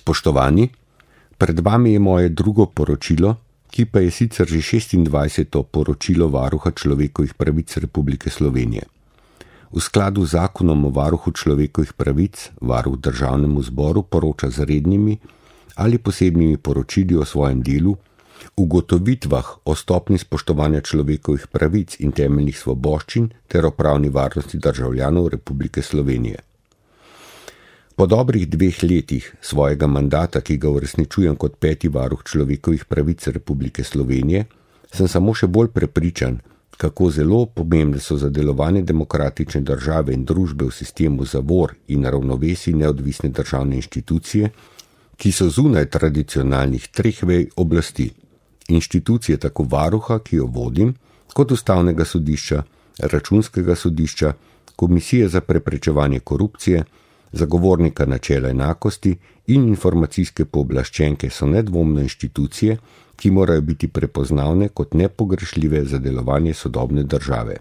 Spoštovani, pred vami je moje drugo poročilo, ki pa je sicer že 26. poročilo Varuha človekovih pravic Republike Slovenije. V skladu z zakonom o varuhu človekovih pravic varuh državnemu zboru poroča z rednimi ali posebnimi poročili o svojem delu, ugotovitvah o stopnji spoštovanja človekovih pravic in temeljnih svoboščin ter o pravni varnosti državljanov Republike Slovenije. Po dobrih 2 letih svojega mandata, ki ga uresničujem kot 5. varuh človekovih pravic Republike Slovenije, sem samo še bolj prepričan, kako zelo pomembne so za delovanje demokratične države in družbe v sistemu zavor in ravnovesij neodvisne državne inštitucije, ki so zunaj tradicionalnih 3 vej oblasti. Inštitucije tako varuha, ki jo vodim, kot Ustavnega sodišča, Računskega sodišča, Komisije za preprečevanje korupcije, Zagovornika načela enakosti in informacijske pooblaščenke so nedvomno inštitucije, ki morajo biti prepoznavne kot nepogrešljive za delovanje sodobne države.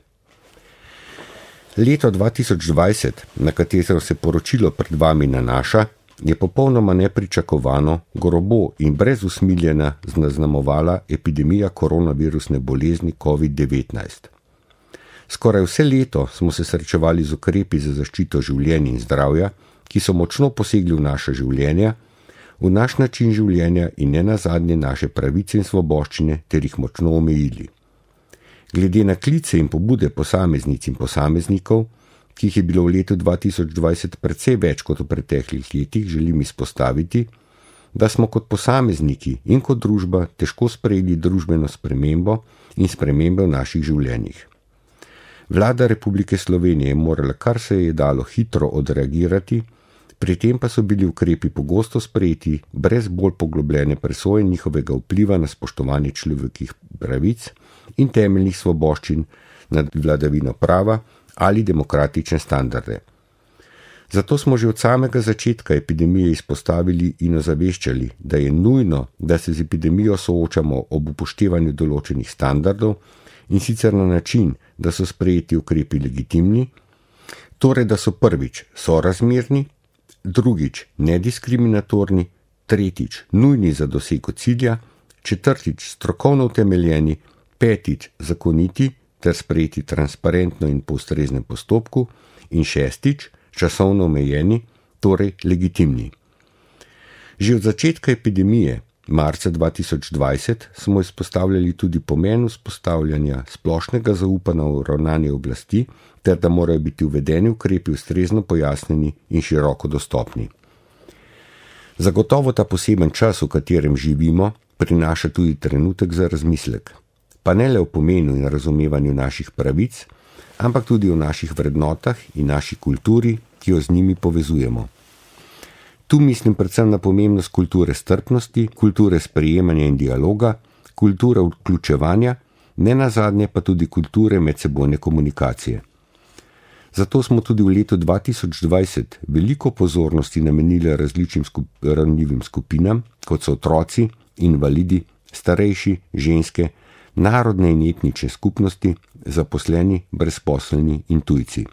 Leto 2020, na katero se poročilo pred vami nanaša, je popolnoma nepričakovano, grobo in brez usmiljena zaznamovala epidemija koronavirusne bolezni COVID-19. Skoraj vse leto smo se srečevali z ukrepi za zaščito življenja in zdravja, ki so močno posegli v naša življenja, v naš način življenja in nenazadnje naše pravice in svoboščine ter jih močno omejili. Glede na klice in pobude posameznic in posameznikov, ki jih je bilo v letu 2020 precej več kot v preteklih letih, želim izpostaviti, da smo kot posamezniki in kot družba težko sprejeli družbeno spremembo in spremembe v naših življenjih. Vlada Republike Slovenije je morala kar se je dalo hitro odreagirati, pri tem pa so bili ukrepi pogosto sprejeti brez bolj poglobljene presoje njihovega vpliva na spoštovanje človekovih pravic in temeljnih svoboščin nad vladavino prava ali demokratične standarde. Zato smo že od samega začetka epidemije izpostavili in ozaveščali, da je nujno, da se z epidemijo soočamo ob upoštevanju določenih standardov in sicer na način, da so sprejeti ukrepi legitimni, torej da so prvič sorazmerni, drugič nediskriminatorni, tretjič nujni za dosego cilja, četrtič strokovno utemeljeni, petič zakoniti ter sprejeti transparentno in po ustreznem postopku in šestič časovno omejeni, torej legitimni. Že od začetka epidemije, marca 2020, smo izpostavljali tudi pomen vzpostavljanja splošnega zaupanja v ravnanje oblasti ter da morajo biti uvedeni ukrepi ustrezno pojasnjeni in široko dostopni. Zagotovo ta poseben čas, v katerem živimo, prinaša tudi trenutek za razmislek. Pa ne le o pomenu in razumevanju naših pravic, ampak tudi o naših vrednotah in naši kulturi, ki jo z njimi povezujemo. Tu mislim predvsem na pomembnost kulture strpnosti, kulture sprejemanja in dialoga, kulture vključevanja, nenazadnje pa tudi kulture medsebojne komunikacije. Zato smo tudi v letu 2020 veliko pozornosti namenili različnim ranljivim skupinam, kot so otroci, invalidi, starejši, ženske, narodne in etnične skupnosti, zaposleni, brezposelni in tujci.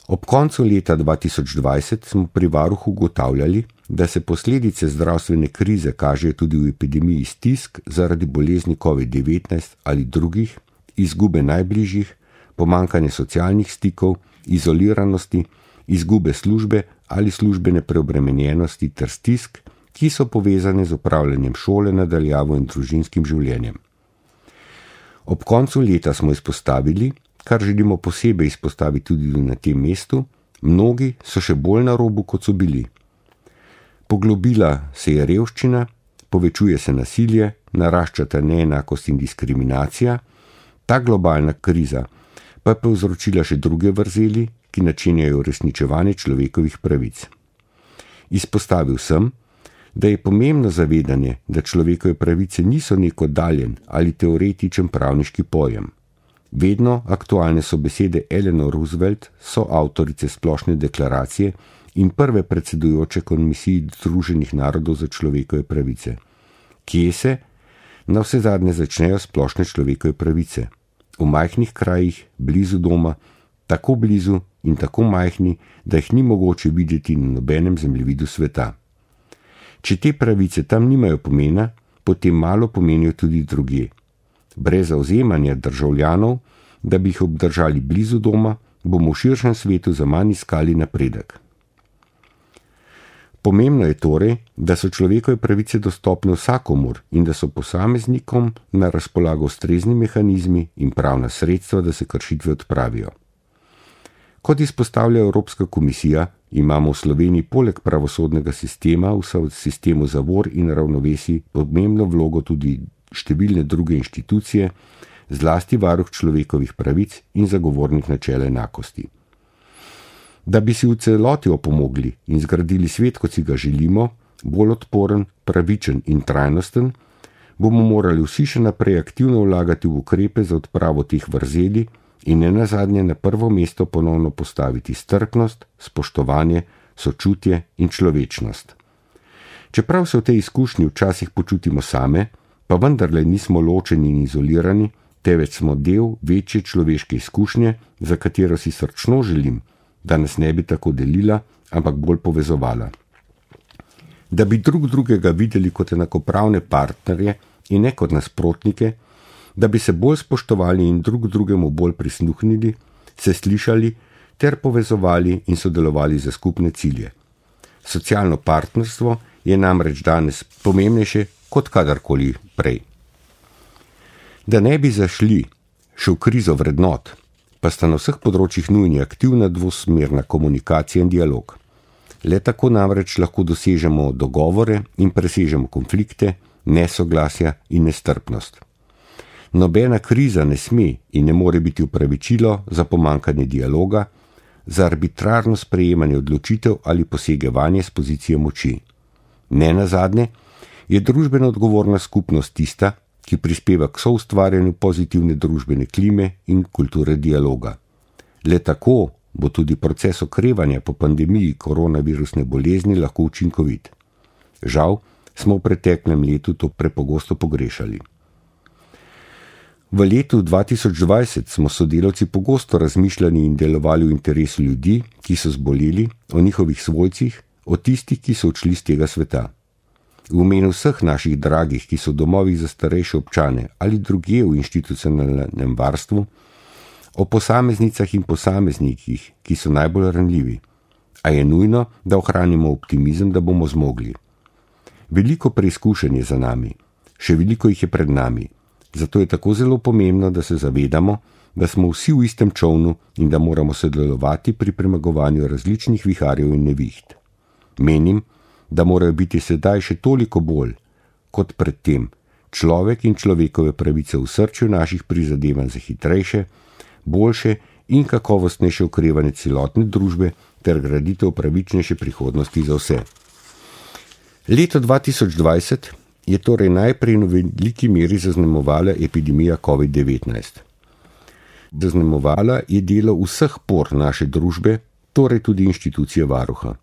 Ob koncu leta 2020 smo pri varuhu ugotavljali, da se posledice zdravstvene krize kažejo tudi v epidemiji stisk zaradi bolezni COVID-19 ali drugih, izgube najbližjih, pomanjkanje socialnih stikov, izoliranosti, izgube službe ali službene preobremenjenosti ter stisk, ki so povezane z upravljanjem šole na daljavo in družinskim življenjem. Ob koncu leta smo izpostavili, kar želimo posebej izpostaviti tudi na tem mestu, mnogi so še bolj na robu, kot so bili. Poglobila se je revščina, povečuje se nasilje, naraščata neenakost in diskriminacija, ta globalna kriza pa je povzročila še druge vrzeli, ki načenjajo uresničevanje človekovih pravic. Izpostavil sem, da je pomembno zavedanje, da človekove pravice niso nek oddaljen ali teoretičen pravniški pojem. Vedno aktualne so besede Eleanor Roosevelt, soavtorice Splošne deklaracije in prve predsedujoče Komisiji Združenih narodov za človekove pravice. Kje se na vse zadnje začnejo splošne človekove pravice? V majhnih krajih, blizu doma, tako blizu in tako majhni, da jih ni mogoče videti na nobenem zemljevidu sveta. Če te pravice tam nimajo pomena, potem malo pomenijo tudi drugje. Brez zavzemanja državljanov, da bi jih obdržali blizu doma, bomo v širšem svetu zaman iskali napredek. Pomembno je torej, da so človekove pravice dostopne vsakomur in da so posameznikom na razpolago ustrezni mehanizmi in pravna sredstva, da se kršitve odpravijo. Kot izpostavlja Evropska komisija, imamo v Sloveniji poleg pravosodnega sistema v sistemu zavor in ravnovesij pomembno vlogo tudi številne druge inštitucije, zlasti varuh človekovih pravic in zagovornik načela enakosti. Da bi si v celoti opomogli in zgradili svet, kot si ga želimo, bolj odporen, pravičen in trajnosten, bomo morali vsi še naprej aktivno vlagati v ukrepe za odpravo teh vrzeli in nenazadnje na prvo mesto ponovno postaviti strpnost, spoštovanje, sočutje in človečnost. Čeprav se v tej izkušnji včasih počutimo same, pa vendarle nismo ločeni in izolirani, temveč smo del večje človeške izkušnje, za katero si srčno želim, da nas ne bi tako delila, ampak bolj povezovala. Da bi drug drugega videli kot enakopravne partnerje in ne kot nasprotnike, da bi se bolj spoštovali in drug drugemu bolj prisluhnili, se slišali ter povezovali in sodelovali za skupne cilje. Socialno partnerstvo je namreč danes pomembnejše kot kadarkoli prej. Da ne bi zašli še v krizo vrednot, pa sta na vseh področjih nujni aktivna dvosmerna komunikacija in dialog. Le tako namreč lahko dosežemo dogovore in presežemo konflikte, nesoglasja in nestrpnost. Nobena kriza ne sme in ne more biti upravičilo za pomanjkanje dialoga, za arbitrarno sprejemanje odločitev ali posegevanje s pozicije moči. Nenazadnje je družbeno odgovorna skupnost tista, ki prispeva k soustvarjanju pozitivne družbene klime in kulture dialoga. Le tako bo tudi proces okrevanja po pandemiji koronavirusne bolezni lahko učinkovit. Žal smo v preteklem letu to prepogosto pogrešali. V letu 2020 smo sodelavci pogosto razmišljali in delovali v interesu ljudi, ki so zboleli, o njihovih svojcih, o tistih, ki so odšli z tega sveta. V imenu vseh naših dragih, ki so v domovih za starejše občane ali drugje v institucionalnem varstvu, o posameznicah in posameznikih, ki so najbolj ranljivi. A je nujno, da ohranimo optimizem, da bomo zmogli. Veliko preizkušenj je za nami, še veliko jih je pred nami. Zato je tako zelo pomembno, da se zavedamo, da smo vsi v istem čolnu in da moramo sodelovati pri premagovanju različnih viharjev in neviht. Menim, da morajo biti sedaj še toliko bolj, kot predtem, človek in človekove pravice v srčju naših prizadevanj za hitrejše, boljše in kakovostnejše okrevanje celotne družbe ter graditev pravičnejše prihodnosti za vse. Leto 2020 je torej najprej v veliki meri zaznamovala epidemija COVID-19. Zaznamovala je delo vseh por naše družbe, torej tudi inštitucije varuha.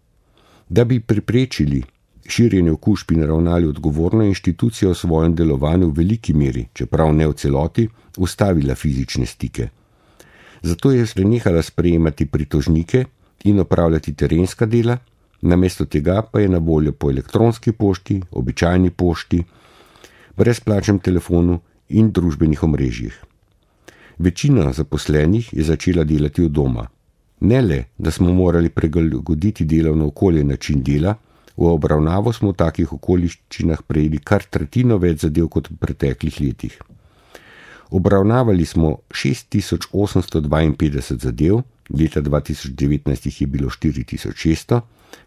Da bi preprečili širjenje okužb in ravnali odgovorno, inštitucija v svojem delovanju v veliki meri, čeprav ne v celoti, ustavila fizične stike. Zato je prenehala sprejemati pritožnike in opravljati terenska dela, namesto tega pa je na voljo po elektronski pošti, običajni pošti, brezplačnem telefonu in družbenih omrežjih. Večina zaposlenih je začela delati od doma. Ne le, da smo morali prilagoditi delovno okolje in način dela, v obravnavo smo v takih okoliščinah prejeli kar tretjino več zadev kot v preteklih letih. Obravnavali smo 6852 zadev, leta 2019 jih je bilo 4600,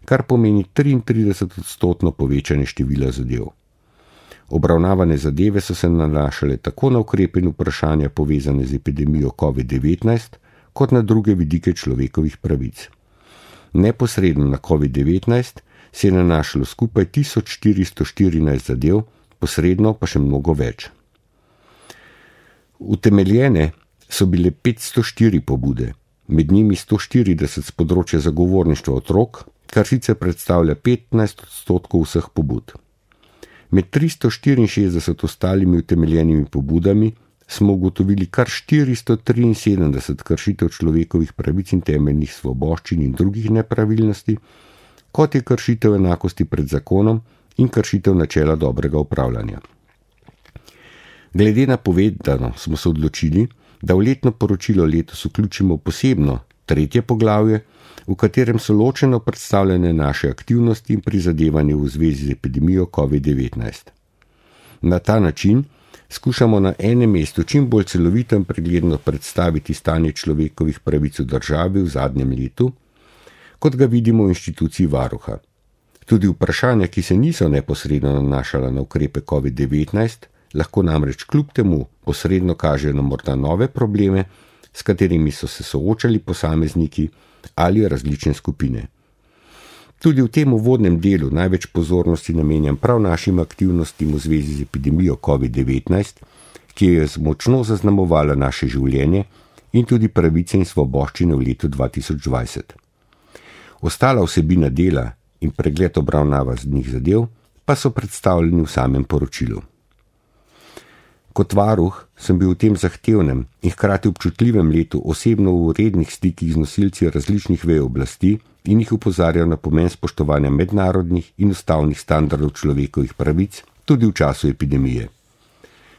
kar pomeni 33% povečanje števila zadev. Obravnavane zadeve so se nanašale tako na ukrepe in vprašanja povezane z epidemijo COVID-19, kot na druge vidike človekovih pravic. Neposredno na COVID-19 se je nanašalo skupaj 1414 zadev, posredno pa še mnogo več. Utemeljene so bile 504 pobude, med njimi 140 z področja zagovorništva otrok, kar sicer predstavlja 15% vseh pobud. Med 364 ostalimi utemeljenimi pobudami smo ugotovili kar 473 kršitev človekovih pravic in temeljnih svoboščin in drugih nepravilnosti, kot je kršitev enakosti pred zakonom in kršitev načela dobrega upravljanja. Glede na povedano smo se odločili, da v letno poročilo letos vključimo posebno 3. poglavje, v katerem so ločeno predstavljene naše aktivnosti in prizadevanje v zvezi z epidemijo COVID-19. Na ta način skušamo na enem mestu čim bolj celovito in pregledno predstaviti stanje človekovih pravic v državi v zadnjem letu, kot ga vidimo v inštituciji varuha. Tudi vprašanja, ki se niso neposredno nanašala na ukrepe COVID-19, lahko namreč kljub temu posredno kažejo na morda nove probleme, s katerimi so se soočali posamezniki ali različne skupine. Tudi v tem uvodnem delu največ pozornosti namenjam prav našim aktivnostim v zvezi z epidemijo COVID-19, ki je močno zaznamovala naše življenje in tudi pravice in svoboščine v letu 2020. Ostala vsebina dela in pregled obravnavanih zadev pa so predstavljeni v samem poročilu. Kot varuh sem bil v tem zahtevnem in hkrati občutljivem letu osebno v rednih stikih z nosilci različnih vej oblasti in jih opozarjal na pomen spoštovanja mednarodnih in ustavnih standardov človekovih pravic tudi v času epidemije.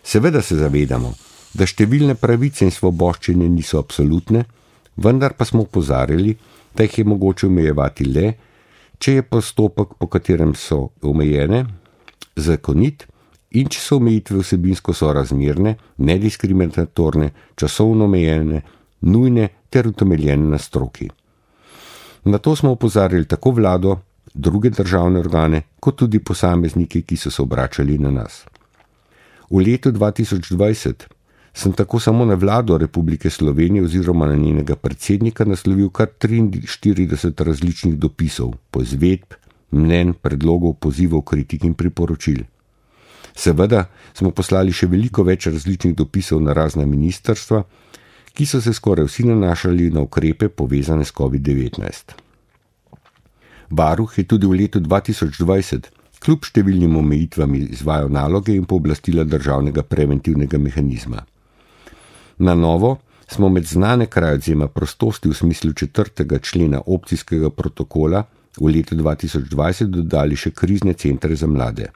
Seveda se zavedamo, da številne pravice in svoboščine niso absolutne, vendar pa smo opozarjali, da jih je mogoče omejevati le, če je postopek, po katerem so omejene, zakonit in če so omejitve vsebinsko sorazmerne, nediskriminatorne, časovno omejene, nujne ter utemeljene na stroki. Na to smo opozarjali tako vlado, druge državne organe, kot tudi posameznike, ki so se obračali na nas. V letu 2020 sem tako samo na vlado Republike Slovenije oziroma na njenega predsednika naslovil kar 43 različnih dopisov, poizvedb, mnenj, predlogov, pozivov, kritik in priporočil. Seveda smo poslali še veliko več različnih dopisov na razna ministrstva, ki so se skoraj vsi nanašali na ukrepe povezane s COVID-19. Varuh je tudi v letu 2020 kljub številnim omejitvam izvajal naloge in pooblastila državnega preventivnega mehanizma. Na novo smo med znane kraje odvzema prostosti v smislu 4. člena opcijskega protokola v letu 2020 dodali še krizne centre za mlade.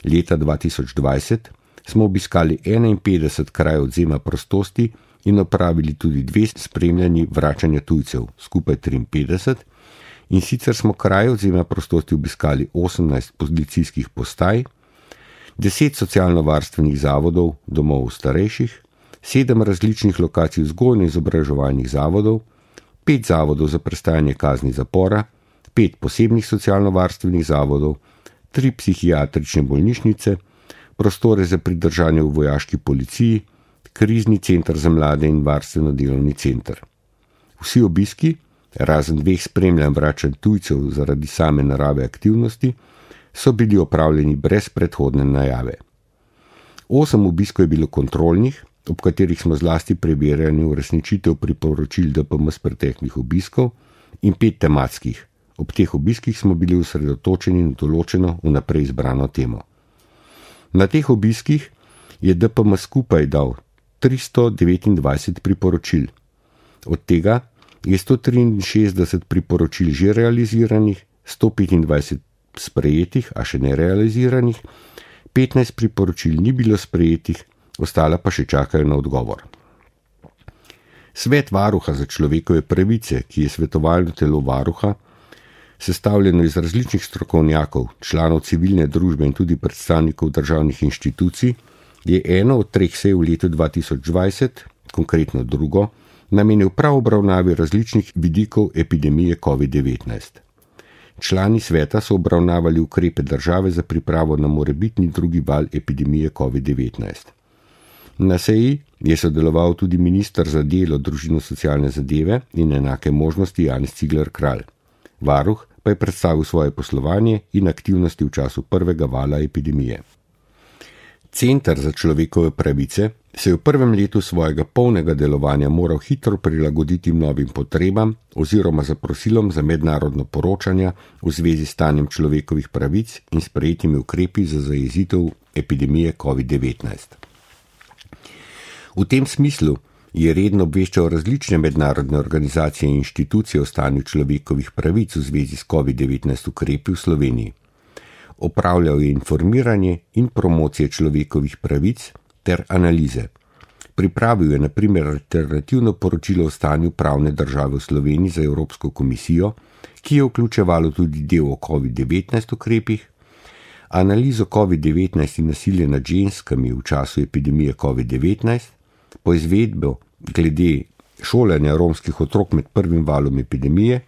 Leta 2020 smo obiskali 51 krajev odvzema prostosti in opravili tudi 2 spremljanji vračanja tujcev, skupaj 53, in sicer smo kraje odvzema prostosti obiskali 18 policijskih postaj, 10 socialno-varstvenih zavodov, domov starejših, 7 različnih lokacij vzgojno-izobraževalnih zavodov, 5 zavodov za prestajanje kazni zapora, 5 posebnih socialno-varstvenih zavodov, 3 psihiatrične bolnišnice, prostore za pridržanje v vojaški policiji, krizni center za mlade in varstveno-delovni center. Vsi obiski, razen 2 spremljanj vračanj tujcev zaradi same narave aktivnosti, so bili opravljeni brez predhodne najave. 8 obiskov je bilo kontrolnih, ob katerih smo zlasti preverjali uresničitev priporočil DPM z preteklih obiskov, in 5 tematskih. Ob teh obiskih smo bili osredotočeni na določeno vnaprej izbrano temo. Na teh obiskih je DPM skupaj dal 329 priporočil. Od tega je 163 priporočil že realiziranih, 125 sprejetih, a še ne realiziranih, 15 priporočil ni bilo sprejetih, ostala pa še čakajo na odgovor. Svet varuha za človekove pravice, ki je svetovalno telo varuha, sestavljeno iz različnih strokovnjakov, članov civilne družbe in tudi predstavnikov državnih inštitucij, je eno od 3 sej v letu 2020, konkretno drugo, namenil prav obravnavi različnih vidikov epidemije COVID-19. Člani sveta so obravnavali ukrepe države za pripravo na morebitni drugi val epidemije COVID-19. Na seji je sodeloval tudi minister za delo, družino, socialne zadeve in enake možnosti Janez Cigler Kralj. Varuh pa je predstavil svoje poslovanje in aktivnosti v času prvega vala epidemije. Center za človekove pravice se je v prvem letu svojega polnega delovanja moral hitro prilagoditi novim potrebam oziroma zaprosilom za mednarodno poročanje v zvezi s stanjem človekovih pravic in sprejetimi ukrepi za zajezitev epidemije COVID-19. V tem smislu je redno obveščal različne mednarodne organizacije in inštitucije o stanju človekovih pravic v zvezi s COVID-19 ukrepi v Sloveniji. opravljal je informiranje in promocije človekovih pravic ter analize. Pripravil je na primer alternativno poročilo o stanju pravne države v Sloveniji za Evropsko komisijo, ki je vključevalo tudi del o COVID-19 ukrepih, analizo COVID-19 in nasilje nad ženskami v času epidemije COVID-19, poizvedbo glede šolanja romskih otrok med prvim valom epidemije,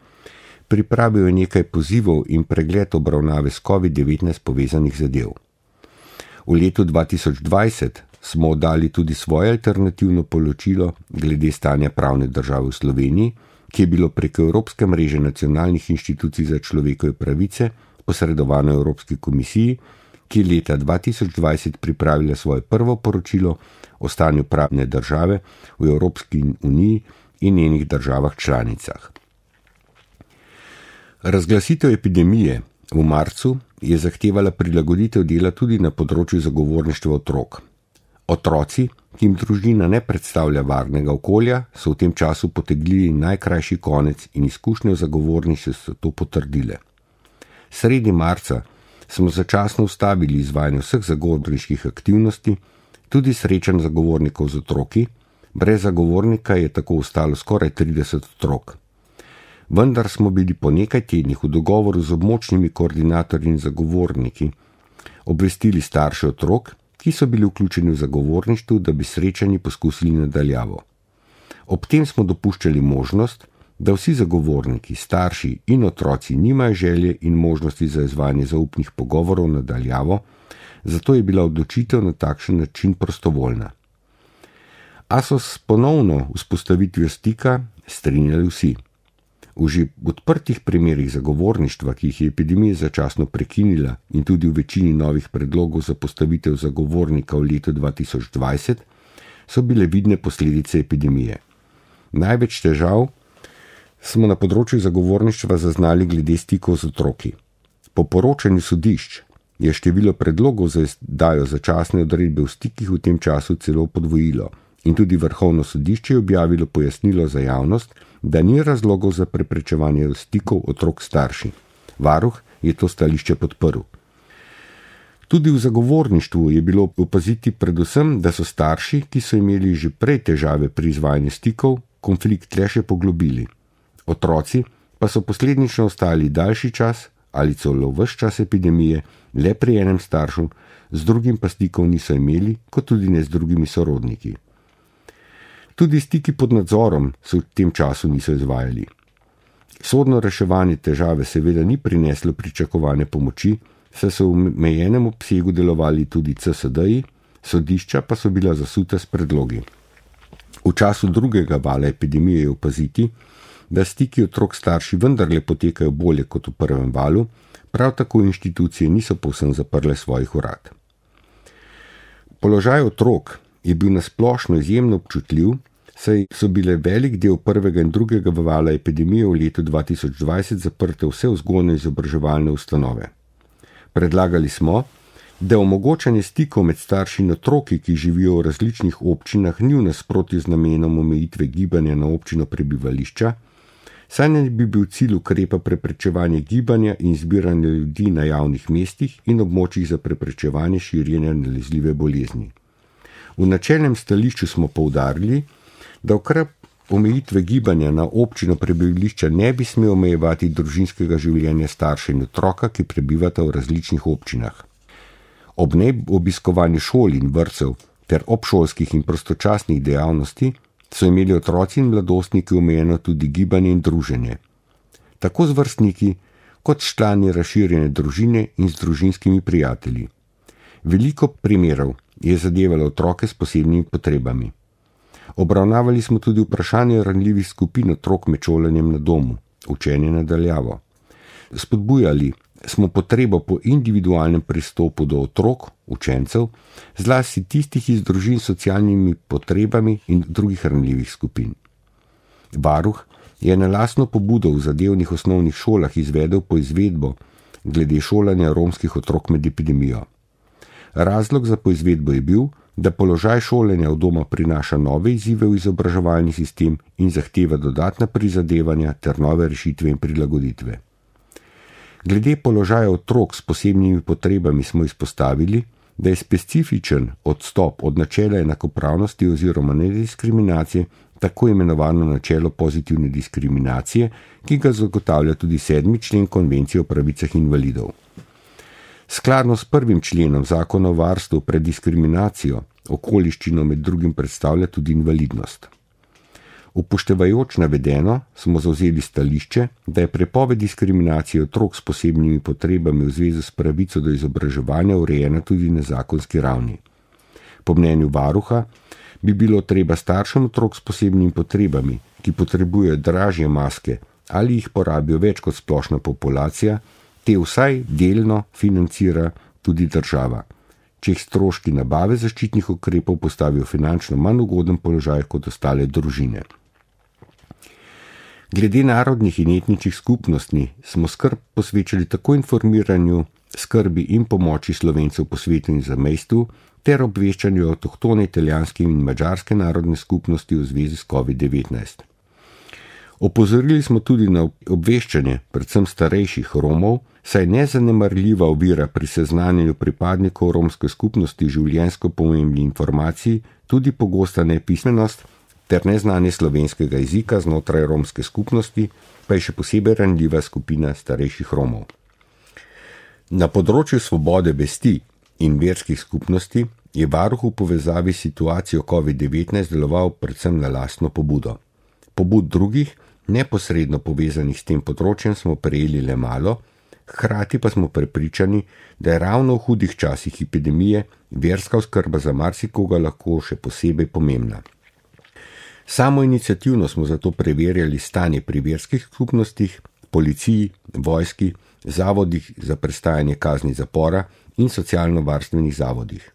pripravil je nekaj pozivov in pregled obravnave s COVID-19 povezanih zadev. V letu 2020 smo oddali tudi svoje alternativno poročilo glede stanja pravne države v Sloveniji, ki je bilo preko Evropske mreže nacionalnih inštitucij za človekove pravice posredovano Evropski komisiji, ki je leta 2020 pripravila svoje prvo poročilo o stanju pravne države v Evropski uniji in njenih državah članicah. Razglasitev epidemije v marcu je zahtevala prilagoditev dela tudi na področju zagovorništva otrok. Otroci, ki jim družina ne predstavlja varnega okolja, so v tem času potegnili najkrajši konec in izkušnje v zagovorništvu so to potrdile. Sredi marca smo začasno ustavili izvajanje vseh zagovorniških aktivnosti, tudi srečanj zagovornikov z otroki, brez zagovornika je tako ostalo skoraj 30 otrok. Vendar smo bili po nekaj tednih v dogovoru z območnimi koordinatorji in zagovorniki obvestili starše otrok, ki so bili vključeni v zagovorništvu, da bi srečanji poskusili nadaljavo. Ob tem smo dopuščali možnost, da vsi zagovorniki, starši in otroci nimajo želje in možnosti za izvajanje zaupnih pogovorov nadaljavo, zato je bila odločitev na takšen način prostovoljna. A so s ponovno vzpostavitvijo stika strinjali vsi. V že odprtih primerih zagovorništva, ki jih je epidemija začasno prekinila in tudi v večini novih predlogov za postavitev zagovornika v letu 2020, so bile vidne posledice epidemije. Največ težav smo na področju zagovorništva zaznali glede stikov z otroki. Po poročanju sodišč je število predlogov za izdajo začasne odredbe v stikih v tem času celo podvojilo in tudi Vrhovno sodišče je objavilo pojasnilo za javnost, da ni razlogov za preprečevanje stikov otrok starši. Varuh je to stališče podprl. Tudi v zagovorništvu je bilo opaziti predvsem, da so starši, ki so imeli že prej težave pri izvajanju stikov, konflikt le še poglobili. Otroci pa so posledično ostali daljši čas ali celo ves čas epidemije le pri enem staršu, z drugim pa stikov niso imeli, kot tudi ne z drugimi sorodniki. Tudi stiki pod nadzorom se v tem času niso izvajali. Sodno reševanje težave seveda ni prineslo pričakovane pomoči, saj so v omejenem obsegu delovali tudi CSD-ji, sodišča pa so bila zasuta s predlogi. V času drugega vala epidemije je opaziti, da stiki otrok starši vendarle potekajo bolje kot v prvem valu, prav tako inštitucije niso povsem zaprle svojih urad. Položaj otrok je bil nasplošno izjemno občutljiv, saj so bile velik del prvega in drugega vala epidemije v letu 2020 zaprte vse vzgojno-izobraževalne ustanove. Predlagali smo, da omogočanje stikov med starši in otroki, ki živijo v različnih občinah, ni v nasprotju z namenom omejitve gibanja na občino prebivališča, saj ne bi bil cilj ukrepa preprečevanje gibanja in zbiranja ljudi na javnih mestih in območjih za preprečevanje širjenja nalezljive bolezni. V načelnem stališču smo poudarili, da ukrep omejitve gibanja na občino prebivališča ne bi smel omejevati družinskega življenja starša in otroka, ki prebivata v različnih občinah. Ob neobiskovanju šol in vrtcev ter obšolskih in prostočasnih dejavnosti so imeli otroci in mladostniki omejeno tudi gibanje in druženje, tako z vrstniki kot s člani razširjene družine in z družinskimi prijatelji. Veliko primerov je zadevalo otroke s posebnimi potrebami. Obravnavali smo tudi vprašanje ranljivih skupin otrok med šolanjem na domu, učenje nadaljavo. Spodbujali smo potrebo po individualnem pristopu do otrok, učencev, zlasti tistih iz družin s socialnimi potrebami in drugih ranljivih skupin. Varuh je na lastno pobudo v zadevnih osnovnih šolah izvedel poizvedbo glede šolanja romskih otrok med epidemijo. Razlog za poizvedbo je bil, da položaj šolanja v doma prinaša nove izzive v izobraževalni sistem in zahteva dodatna prizadevanja ter nove rešitve in prilagoditve. Glede položaja otrok s posebnimi potrebami smo izpostavili, da je specifičen odstop od načela enakopravnosti oziroma nediskriminacije tako imenovano načelo pozitivne diskriminacije, ki ga zagotavlja tudi 7. člen Konvencije o pravicah invalidov. Skladno s 1. členom Zakona o varstvu pred diskriminacijo okoliščino med drugim predstavlja tudi invalidnost. Upoštevajoč navedeno, smo zavzeli stališče, da je prepoved diskriminacije otrok s posebnimi potrebami v zvezi s pravico do izobraževanja urejena tudi na zakonski ravni. Po mnenju varuha bi bilo treba staršem otrok s posebnimi potrebami, ki potrebujejo dražje maske ali jih porabijo več kot splošna populacija, te vsaj delno financira tudi država, če jih stroški nabave zaščitnih ukrepov postavijo finančno manj ugoden položaj kot ostale družine. Glede narodnih in etničnih skupnosti smo skrb posvečali tako informiranju, skrbi in pomoči Slovencev po svetu in zamejstvu ter obveščanju avtohtone italijanske in madžarske narodne skupnosti v zvezi s COVID-19. Opozorili smo tudi na obveščanje, predvsem starejših Romov, saj nezanemarljiva ovira pri seznanjanju pripadnikov romske skupnosti življenjsko pomembnih informacij, tudi pogosta nepismenost ter neznanje slovenskega jezika znotraj romske skupnosti, pa je še posebej ranljiva skupina starejših Romov. Na področju svobode vesti in verskih skupnosti je varuh v povezavi s situacijo COVID-19 deloval predvsem na lastno pobudo. Pobud drugih, neposredno povezanih s tem področjem, smo prejeli le malo, hkrati pa smo prepričani, da je ravno v hudih časih epidemije verska oskrba za marsikoga lahko še posebej pomembna. Samoiniciativno smo zato preverjali stanje pri verskih skupnostih, policiji, vojski, zavodih za prestajanje kazni zapora in socialno-varstvenih zavodih.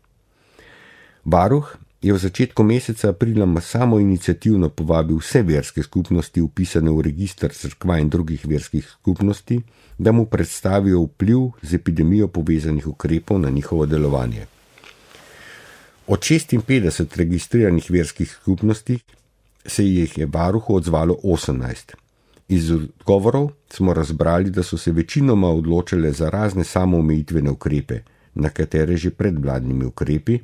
Varuh je v začetku meseca aprila samoiniciativno povabil vse verske skupnosti vpisane v register cerkva in drugih verskih skupnosti, da mu predstavijo vpliv z epidemijo povezanih ukrepov na njihovo delovanje. Od 56 registriranih verskih skupnosti se jih je varuhu odzvalo 18. Iz odgovorov smo razbrali, da so se večinoma odločile za razne samoomejitvene ukrepe, na katere že pred vladnimi ukrepi,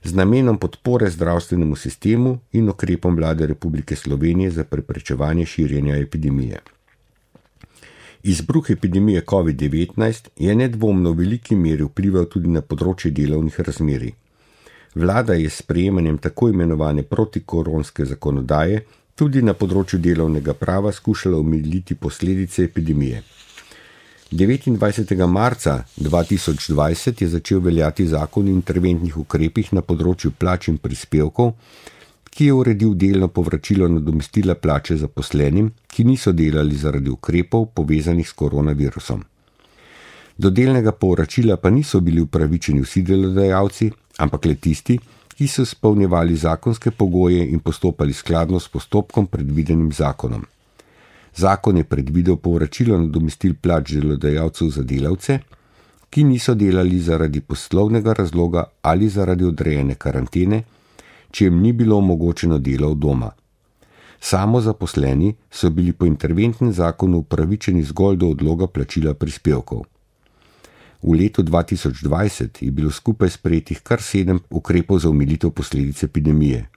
z namenom podpore zdravstvenemu sistemu in ukrepom Vlade Republike Slovenije za preprečevanje širjenja epidemije. Izbruh epidemije COVID-19 je nedvomno v veliki meri vplival tudi na področje delovnih razmerij. Vlada je s sprejemanjem tako imenovane protikoronske zakonodaje tudi na področju delovnega prava skušala omiliti posledice epidemije. 29. marca 2020 je začel veljati zakon o interventnih ukrepih na področju plač in prispevkov, ki je uredil delno povračilo nadomestila plače zaposlenim, ki niso delali zaradi ukrepov povezanih s koronavirusom. Do delnega povračila pa niso bili upravičeni vsi delodajalci, ampak le tisti, ki so izpolnjevali zakonske pogoje in postopali skladno s postopkom predvidenim zakonom. Zakon je predvidel povračilo nadomestil plač delodajalcev za delavce, ki niso delali zaradi poslovnega razloga ali zaradi odrejene karantene, če jim ni bilo omogočeno delo od doma. Samozaposleni so bili po interventnem zakonu upravičeni zgolj do odloga plačila prispevkov. V letu 2020 je bilo skupaj sprejetih kar 7 ukrepov za omilitev posledic epidemije.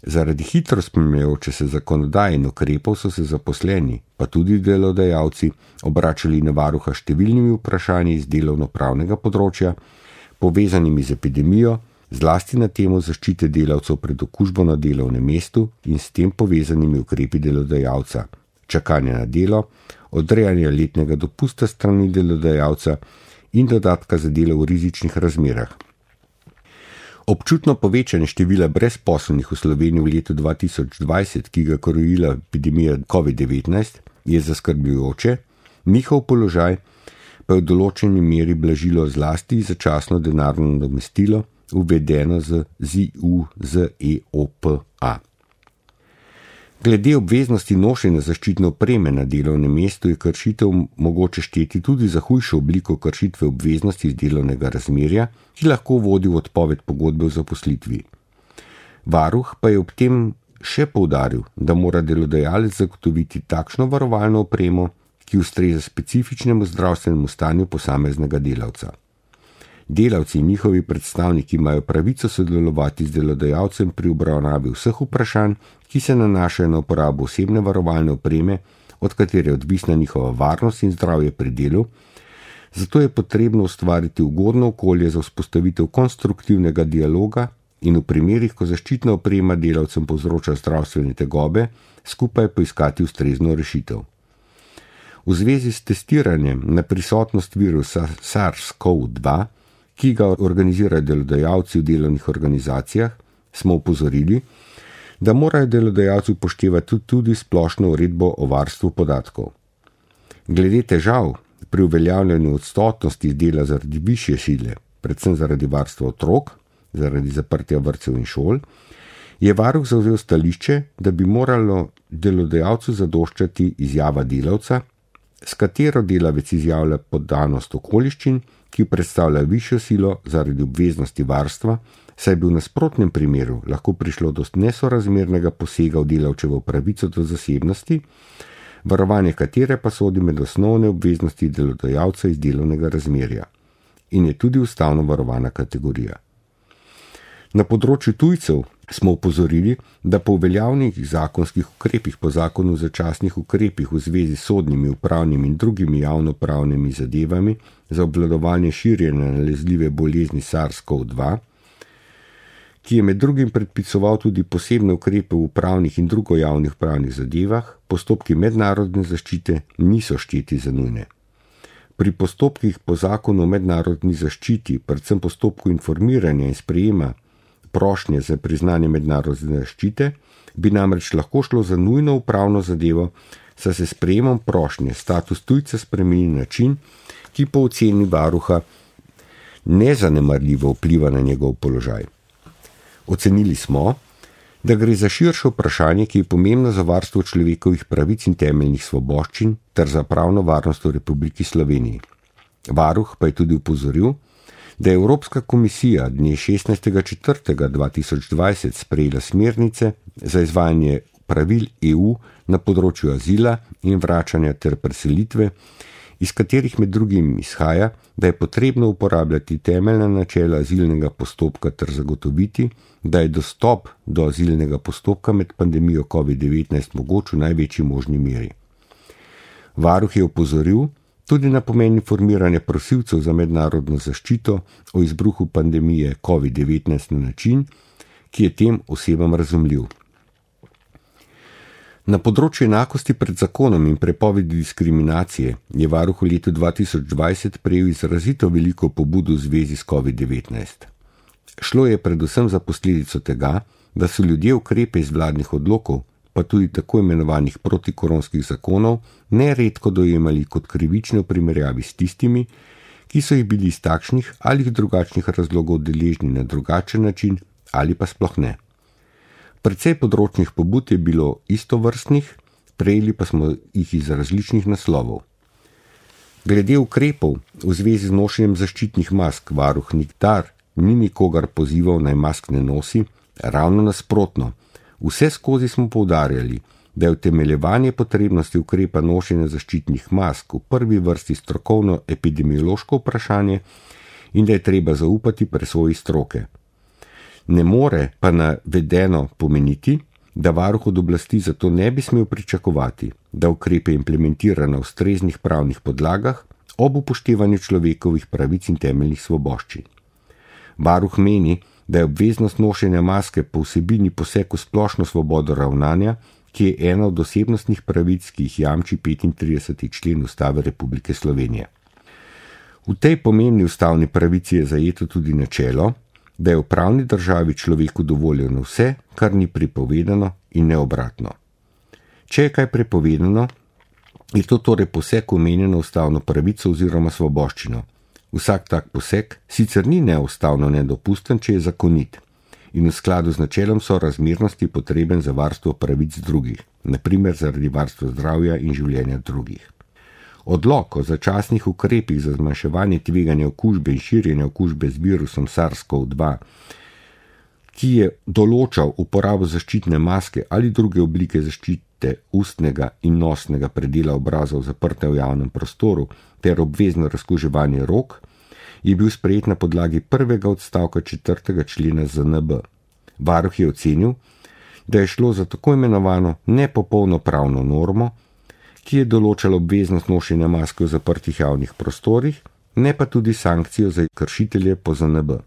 Zaradi hitro spreminjajoče se zakonodaje in ukrepov so se zaposleni, pa tudi delodajalci, obračali na varuha številnimi vprašanji iz delovno-pravnega področja, povezanimi z epidemijo, zlasti na temo zaščite delavcev pred okužbo na delovnem mestu in s tem povezanimi ukrepi delodajalca, čakanje na delo, odrejanje letnega dopusta strani delodajalca in dodatka za delo v rizičnih razmerah. Občutno povečanje števila brezposelnih v Sloveniji v letu 2020, ki ga krojila epidemija COVID-19, je zaskrbljujoče, njihov položaj pa je v določeni meri blažilo zlasti začasno denarno nadomestilo, uvedeno z ZIUZEOPA. Glede obveznosti nošenja zaščitne opreme na delovnem mestu je kršitev mogoče šteti tudi za hujšo obliko kršitve obveznosti iz delovnega razmerja, ki lahko vodi v odpoved pogodbe o zaposlitvi. Varuh pa je ob tem še poudaril, da mora delodajalec zagotoviti takšno varovalno opremo, ki ustreza specifičnemu zdravstvenemu stanju posameznega delavca. Delavci in njihovi predstavniki imajo pravico sodelovati z delodajalcem pri obravnavi vseh vprašanj, ki se nanašajo na uporabo osebne varovalne opreme, od katere je odvisna njihova varnost in zdravje pri delu, zato je potrebno ustvariti ugodno okolje za vzpostavitev konstruktivnega dialoga in v primerih, ko zaščitna oprema delavcem povzroča zdravstvene tegobe, skupaj poiskati ustrezno rešitev. V zvezi s testiranjem na prisotnost virusa SARS-CoV-2, ki ga organizirajo delodajalci v delovnih organizacijah, smo opozorili, da morajo delodajalci upoštevati tudi splošno uredbo o varstvu podatkov. Glede težav pri uveljavljanju odsotnosti dela zaradi višje sile, predvsem zaradi varstva otrok, zaradi zaprtja vrtcev in šol, je varuh zavzel stališče, da bi moralo delodajalcu zadoščati izjava delavca, s katero delavec izjavlja podanost okoliščin, ki predstavlja višjo silo zaradi obveznosti varstva, saj bi v nasprotnem primeru lahko prišlo do nesorazmernega posega v delavčevo pravico do zasebnosti, varovanje katere pa sodi med osnovne obveznosti delodajalca iz delovnega razmerja in je tudi ustavno varovana kategorija. Na področju tujcev smo opozorili, da po uveljavljenih zakonskih ukrepih po zakonu o začasnih ukrepih v zvezi s sodnimi, upravnimi in drugimi javnopravnimi zadevami za obvladovanje širjenja nalezljive bolezni SARS-CoV-2, ki je med drugim predpisoval tudi posebne ukrepe v upravnih in drugo javnih pravnih zadevah, postopki mednarodne zaščite niso šteti za nujne. Pri postopkih po zakonu o mednarodni zaščiti, predvsem postopku informiranja in sprejema prošnje za priznanje mednarodne zaščite, bi namreč lahko šlo za nujno upravno zadevo, saj se sprejemom prošnje status tujca spremeni na način, ki po oceni varuha nezanemarljivo vpliva na njegov položaj. Ocenili smo, da gre za širše vprašanje, ki je pomembno za varstvo človekovih pravic in temeljnih svoboščin ter za pravno varnost v Republiki Sloveniji. Varuh pa je tudi upozoril, da je Evropska komisija dne 16.4.2020 sprejela smernice za izvajanje pravil EU na področju azila in vračanja ter preselitve, iz katerih med drugim izhaja, da je potrebno uporabljati temeljna načela azilnega postopka ter zagotoviti, da je dostop do azilnega postopka med pandemijo COVID-19 mogoč v največji možni meri. Varuh je opozoril tudi na pomen informiranja prosilcev za mednarodno zaščito o izbruhu pandemije COVID-19 na način, ki je tem osebam razumljiv. Na področju enakosti pred zakonom in prepovedi diskriminacije je varuh v letu 2020 prejel izrazito veliko pobud v zvezi s COVID-19. Šlo je predvsem za posledico tega, da so ljudje ukrepe iz vladnih odlokov, pa tudi tako imenovanih protikoronskih zakonov, neredko dojemali kot krivične v primerjavi s tistimi, ki so jih bili iz takšnih ali drugačnih razlogov deležni na drugačen način ali pa sploh ne. Precej področnih pobud je bilo istovrstnih, prejeli pa smo jih iz različnih naslovov. Glede ukrepov v zvezi z nošenjem zaščitnih mask varuh nikdar ni nikogar pozival naj mask ne nosi, ravno nasprotno. Vse skozi smo poudarjali, da je utemeljevanje potrebnosti ukrepa nošenja zaščitnih mask v prvi vrsti strokovno epidemiološko vprašanje in da je treba zaupati presoji stroke. Ne more pa navedeno pomeniti, da varuh od oblasti zato ne bi smel pričakovati, da ukrepe implementira na ustreznih pravnih podlagah ob upoštevanju človekovih pravic in temeljnih svoboščin. Varuh meni, da je obveznost nošenja maske po vsebini poseg v splošno svobodo ravnanja, ki je ena od osebnostnih pravic, ki jih jamči 35. člen Ustave Republike Slovenije. V tej pomembni ustavni pravici je zajeto tudi načelo, da je v pravni državi človeku dovoljeno vse, kar ni prepovedano in ne obratno. Če je kaj prepovedano, je to torej poseg omenjeno ustavno pravico oziroma svoboščino. Vsak tak poseg sicer ni neustavno nedopusten, če je zakonit in v skladu z načelom sorazmernosti potreben za varstvo pravic drugih, naprimer zaradi varstva zdravja in življenja drugih. Odlok o začasnih ukrepih za zmanjševanje tveganja okužbe in širjenja okužbe z virusom SARS-CoV-2, ki je določal uporabo zaščitne maske ali druge oblike zaščite ustnega in nosnega predela obraza zaprte v javnem prostoru ter obvezno razkuževanje rok, je bil sprejet na podlagi prvega odstavka 4. člena ZNB. Varuh je ocenil, da je šlo za tako imenovano nepopolno pravno normo, ki je določala obveznost nošenja maske v zaprtih javnih prostorih, ne pa tudi sankcijo za kršitelje po ZNB.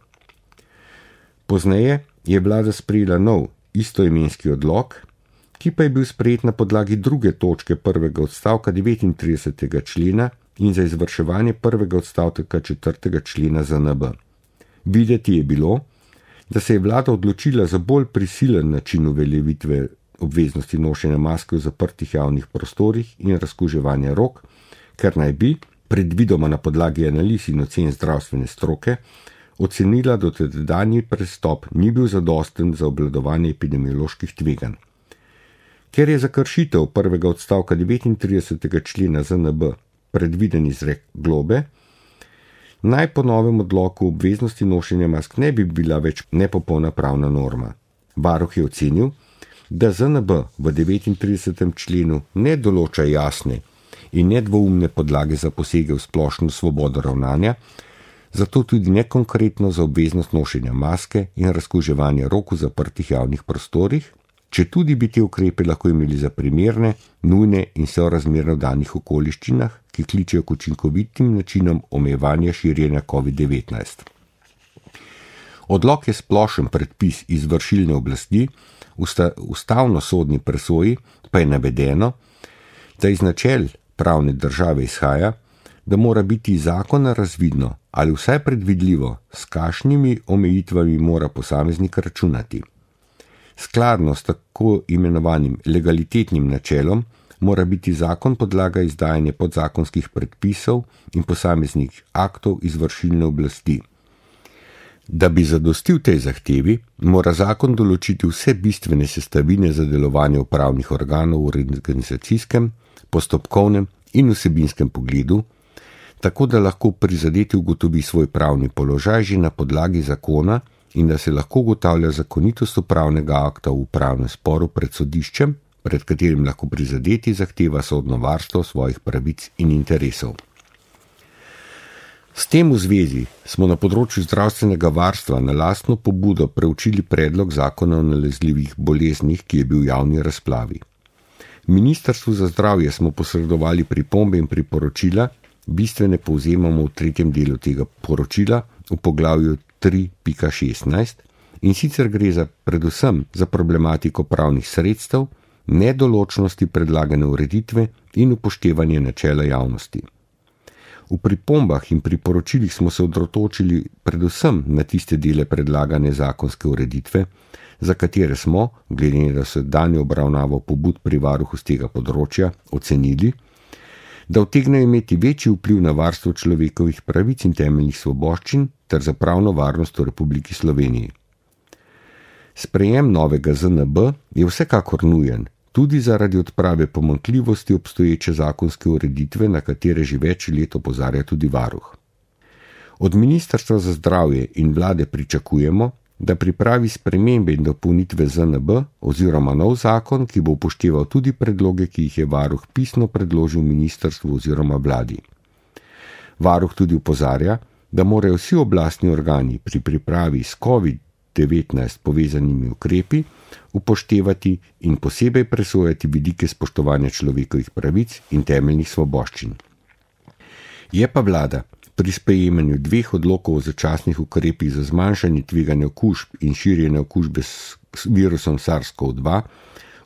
Pozneje je vlada sprejela nov istoimenski odlok, ki pa je bil sprejet na podlagi 2. točke prvega odstavka 39. člena in za izvrševanje prvega odstavka 4. člena ZNB. Videti je bilo, da se je vlada odločila za bolj prisilen način uveljavitve obveznosti nošenja maske v zaprtih javnih prostorih in razkuževanja rok, ker naj bi, predvidoma na podlagi analiz in ocen zdravstvene stroke, ocenila, da dotedanji prestop ni bil zadosten za obvladovanje epidemioloških tveganj. Ker je za kršitev prvega odstavka 39. člena ZNB predviden izrek globe, naj po novem odloku obveznosti nošenja mask ne bi bila več nepopolna pravna norma. Varuh je ocenil, da ZNB v 39. členu ne določa jasne in nedvoumne podlage za posege v splošno svobodo ravnanja, zato tudi nekonkretno za obveznost nošenja maske in razkuževanja rok v zaprtih javnih prostorih, če tudi bi te ukrepe lahko imeli za primerne, nujne in sorazmerno danih okoliščinah, ki kličejo k učinkovitim načinom omejevanja širjenja COVID-19. Odlok je splošen predpis izvršilne oblasti, ustavno-sodni presoji pa je navedeno, da iz načel pravne države izhaja, da mora biti iz zakona razvidno ali vsaj predvidljivo, s kakšnimi omejitvami mora posameznik računati. Skladno s tako imenovanim legalitetnim načelom mora biti zakon podlaga izdajanja podzakonskih predpisov in posameznih aktov izvršilne oblasti. Da bi zadostil tej zahtevi, mora zakon določiti vse bistvene sestavine za delovanje upravnih organov v organizacijskem, postopkovnem in vsebinskem pogledu, tako da lahko prizadeti ugotovi svoj pravni položaj že na podlagi zakona in da se lahko ugotavlja zakonitost upravnega akta v upravnem sporu pred sodiščem, pred katerim lahko prizadeti zahteva sodno varstvo svojih pravic in interesov. S tem v zvezi smo na področju zdravstvenega varstva na lastno pobudo preučili predlog zakona o nalezljivih boleznih, ki je bil v javni razpravi. Ministrstvu za zdravje smo posredovali pripombe in priporočila, bistvene povzemamo v 3. delu tega poročila v poglavju 3.16 in sicer gre za predvsem za problematiko pravnih sredstev, nedoločnosti predlagane ureditve in upoštevanje načela javnosti. V pripombah in priporočilih smo se odrotočili predvsem na tiste dele predlagane zakonske ureditve, za katere smo, glede na sedanjo obravnavo pobud pri varuhu z tega področja, ocenili, da utegnejo imeti večji vpliv na varstvo človekovih pravic in temeljnih svoboščin ter za pravno varnost v Republiki Sloveniji. Sprejem novega ZNB je vsekakor nujen, tudi zaradi odprave pomanjkljivosti obstoječe zakonske ureditve, na katere že več let opozarja tudi varuh. Od Ministrstva za zdravje in vlade pričakujemo, da pripravi spremembe in dopolnitve ZNB oziroma nov zakon, ki bo upošteval tudi predloge, ki jih je varuh pisno predložil ministrstvu oziroma vladi. Varuh tudi opozarja, da morajo vsi oblastni organi pri pripravi s COVID-19 povezanimi ukrepi upoštevati in posebej presojati vidike spoštovanja človekovih pravic in temeljnih svoboščin. Je pa vlada pri sprejemanju 2 odlokov o začasnih ukrepih za zmanjšanje tveganja okužb in širjenja okužbe s virusom SARS-CoV-2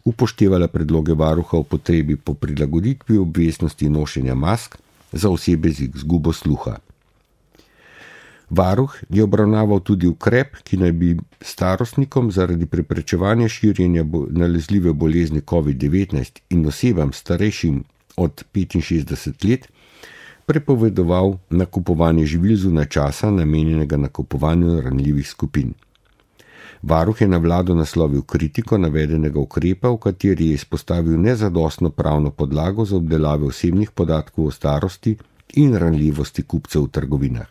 upoštevala predloge varuha o potrebi po prilagoditvi obveznosti nošenja mask za osebe z izgubo sluha. Varuh je obravnaval tudi ukrep, ki naj bi starostnikom zaradi preprečevanja širjenja nalezljive bolezni COVID-19 in osebam starejšim od 65 let prepovedoval nakupovanje živil zunaj časa, namenjenega nakupovanju ranljivih skupin. Varuh je na vlado naslovil kritiko navedenega ukrepa, v kateri je izpostavil nezadostno pravno podlago za obdelave osebnih podatkov o starosti in ranljivosti kupcev v trgovinah.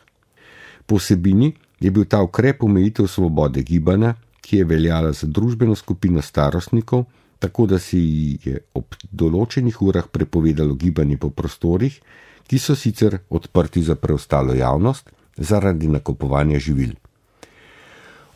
Po vsebini je bil ta ukrep omejitev svobode gibanja, ki je veljala za družbeno skupino starostnikov, tako da se ji je ob določenih urah prepovedalo gibanje po prostorih, ki so sicer odprti za preostalo javnost zaradi nakupovanja živil.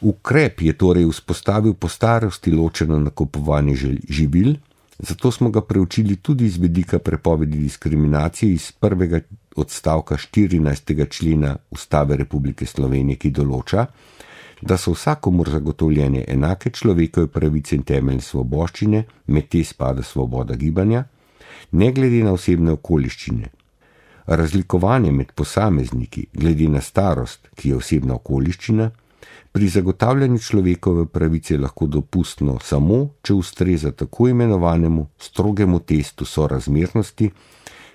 Ukrep je torej vzpostavil po starosti ločeno nakupovanje živil, zato smo ga preučili tudi z vidika prepovedi diskriminacije iz prvega odstavka 14. člena Ustave Republike Slovenije, ki določa, da so vsakomur zagotovljene enake človekove pravice in temeljne svoboščine, med te spada svoboda gibanja, ne glede na osebne okoliščine. Razlikovanje med posamezniki glede na starost, ki je osebna okoliščina, pri zagotavljanju človekove pravice je lahko dopustno samo, če ustreza tako imenovanemu strogemu testu sorazmernosti,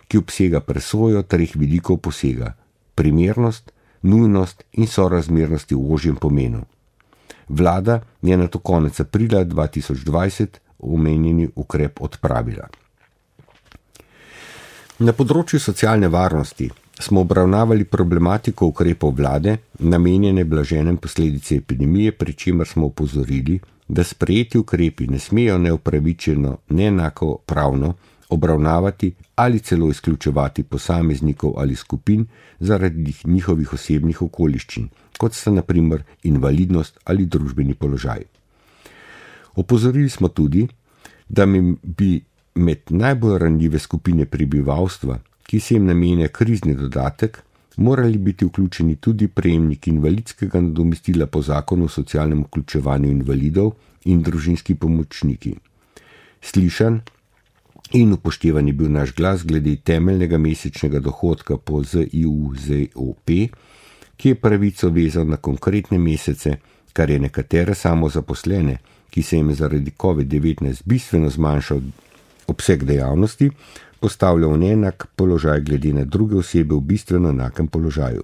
ki obsega presojo 3 vidikov posega: primernost, nujnost in sorazmernosti v ožjem pomenu. Vlada je nato konec aprila 2020 omenjeni ukrep odpravila. Na področju socialne varnosti smo obravnavali problematiko ukrepov vlade, namenjene blaženjem posledice epidemije, pri čemer smo opozorili, da sprejeti ukrepi ne smejo neupravičeno, neenako pravno obravnavati ali celo izključevati posameznikov ali skupin zaradi njihovih osebnih okoliščin, kot sta na primer invalidnost ali družbeni položaj. Opozorili smo tudi, da bi med najbolj ranljive skupine prebivalstva, ki se jim namenja krizni dodatek, morali biti vključeni tudi prejemniki invalidskega nadomestila po zakonu o socialnem vključevanju invalidov in družinski pomočniki. Slišan in upoštevan je bil naš glas glede temeljnega mesečnega dohodka po ZIUZOP, ki je pravico vezal na konkretne mesece, kar je nekatere samozaposlene, ki se jim zaradi COVID-19 bistveno zmanjšal obseg dejavnosti, postavlja v neenak položaj glede na druge osebe v bistveno enakem položaju.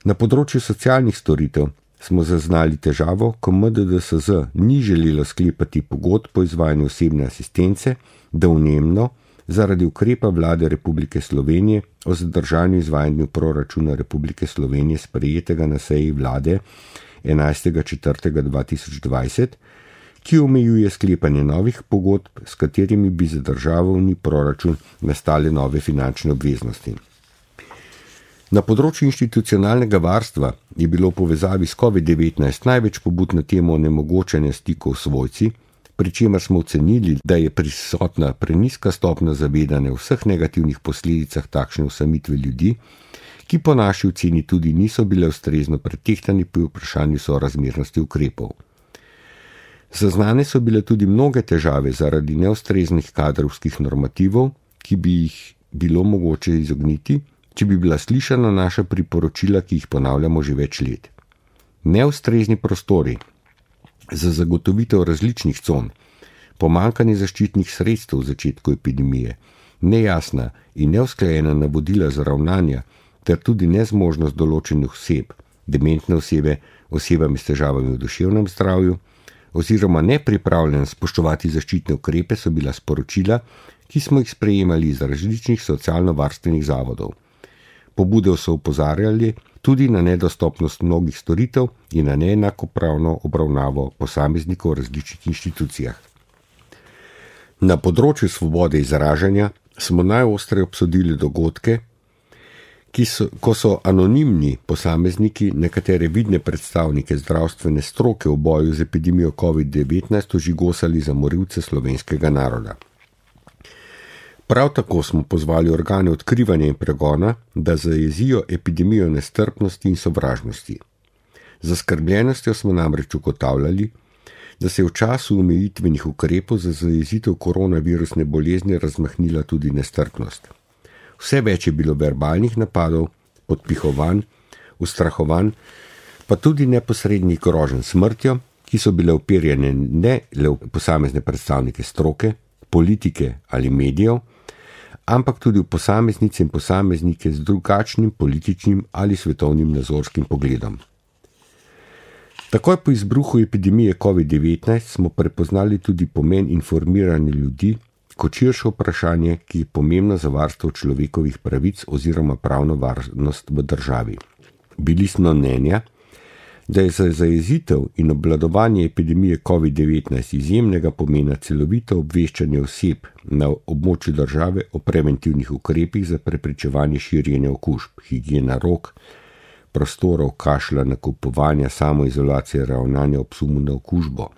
Na področju socialnih storitev smo zaznali težavo, ko MDDSZ ni želelo sklepati pogodb po izvajanju osebne asistence, domnevno zaradi ukrepa Vlade Republike Slovenije o zadržanju izvajanju proračuna Republike Slovenije sprejetega na seji vlade 11.4.2020, ki omejuje sklepanje novih pogodb, s katerimi bi za državni proračun nastale nove finančne obveznosti. Na področju institucionalnega varstva je bilo v povezavi s COVID-19 največ pobud na temo onemogočanja stikov s svojci, pri čemer smo ocenili, da je prisotna prenizka stopnja zavedanja o vseh negativnih posledicah takšne osamitve ljudi, ki po naši oceni tudi niso bile ustrezno pretehtani pri vprašanju sorazmernosti ukrepov. Zaznane so bile tudi mnoge težave zaradi neustreznih kadrovskih normativov, ki bi jih bilo mogoče izogniti, če bi bila slišana naša priporočila, ki jih ponavljamo že več let. Neustrezni prostori za zagotovitev različnih con, pomanjkanje zaščitnih sredstev v začetku epidemije, nejasna in neusklajena navodila za ravnanja ter tudi nezmožnost določenih oseb, dementne osebe, osebami s težavami v duševnem zdravju, oziroma nepripravljenost spoštovati zaščitne ukrepe so bila sporočila, ki smo jih sprejemali iz različnih socialno-varstvenih zavodov. Pobude so opozarjali tudi na nedostopnost mnogih storitev in na neenakopravno obravnavo posameznikov v različnih inštitucijah. Na področju svobode izražanja smo najostreje obsodili dogodke, ko so anonimni posamezniki nekatere vidne predstavnike zdravstvene stroke v boju z epidemijo COVID-19 ožigosali za morilce slovenskega naroda. Prav tako smo pozvali organe odkrivanja in pregona, da zajezijo epidemijo nestrpnosti in sovražnosti. Z zaskrbljenostjo smo namreč ugotavljali, da se je v času omejitvenih ukrepov za zajezitev koronavirusne bolezni razmahnila tudi nestrpnost. Vse več je bilo verbalnih napadov, podpihovanj, ustrahovanj, pa tudi neposrednih groženj smrtjo, ki so bile uperjene ne le v posamezne predstavnike stroke, politike ali medijev, ampak tudi v posameznice in posameznike z drugačnim političnim ali svetovnim nazorskim pogledom. Takoj po izbruhu epidemije COVID-19 smo prepoznali tudi pomen informiranja ljudi kot širše vprašanje, ki je pomembno za varstvo človekovih pravic oziroma pravno varnost v državi. Bili smo mnenja, da je za zajezitev in obvladovanje epidemije COVID-19 izjemnega pomena celovito obveščanje oseb na območju države o preventivnih ukrepih za preprečevanje širjenja okužb, higiena rok, prostorov, kašlja, nakupovanja, samoizolacije, ravnanja ob sumu na okužbo,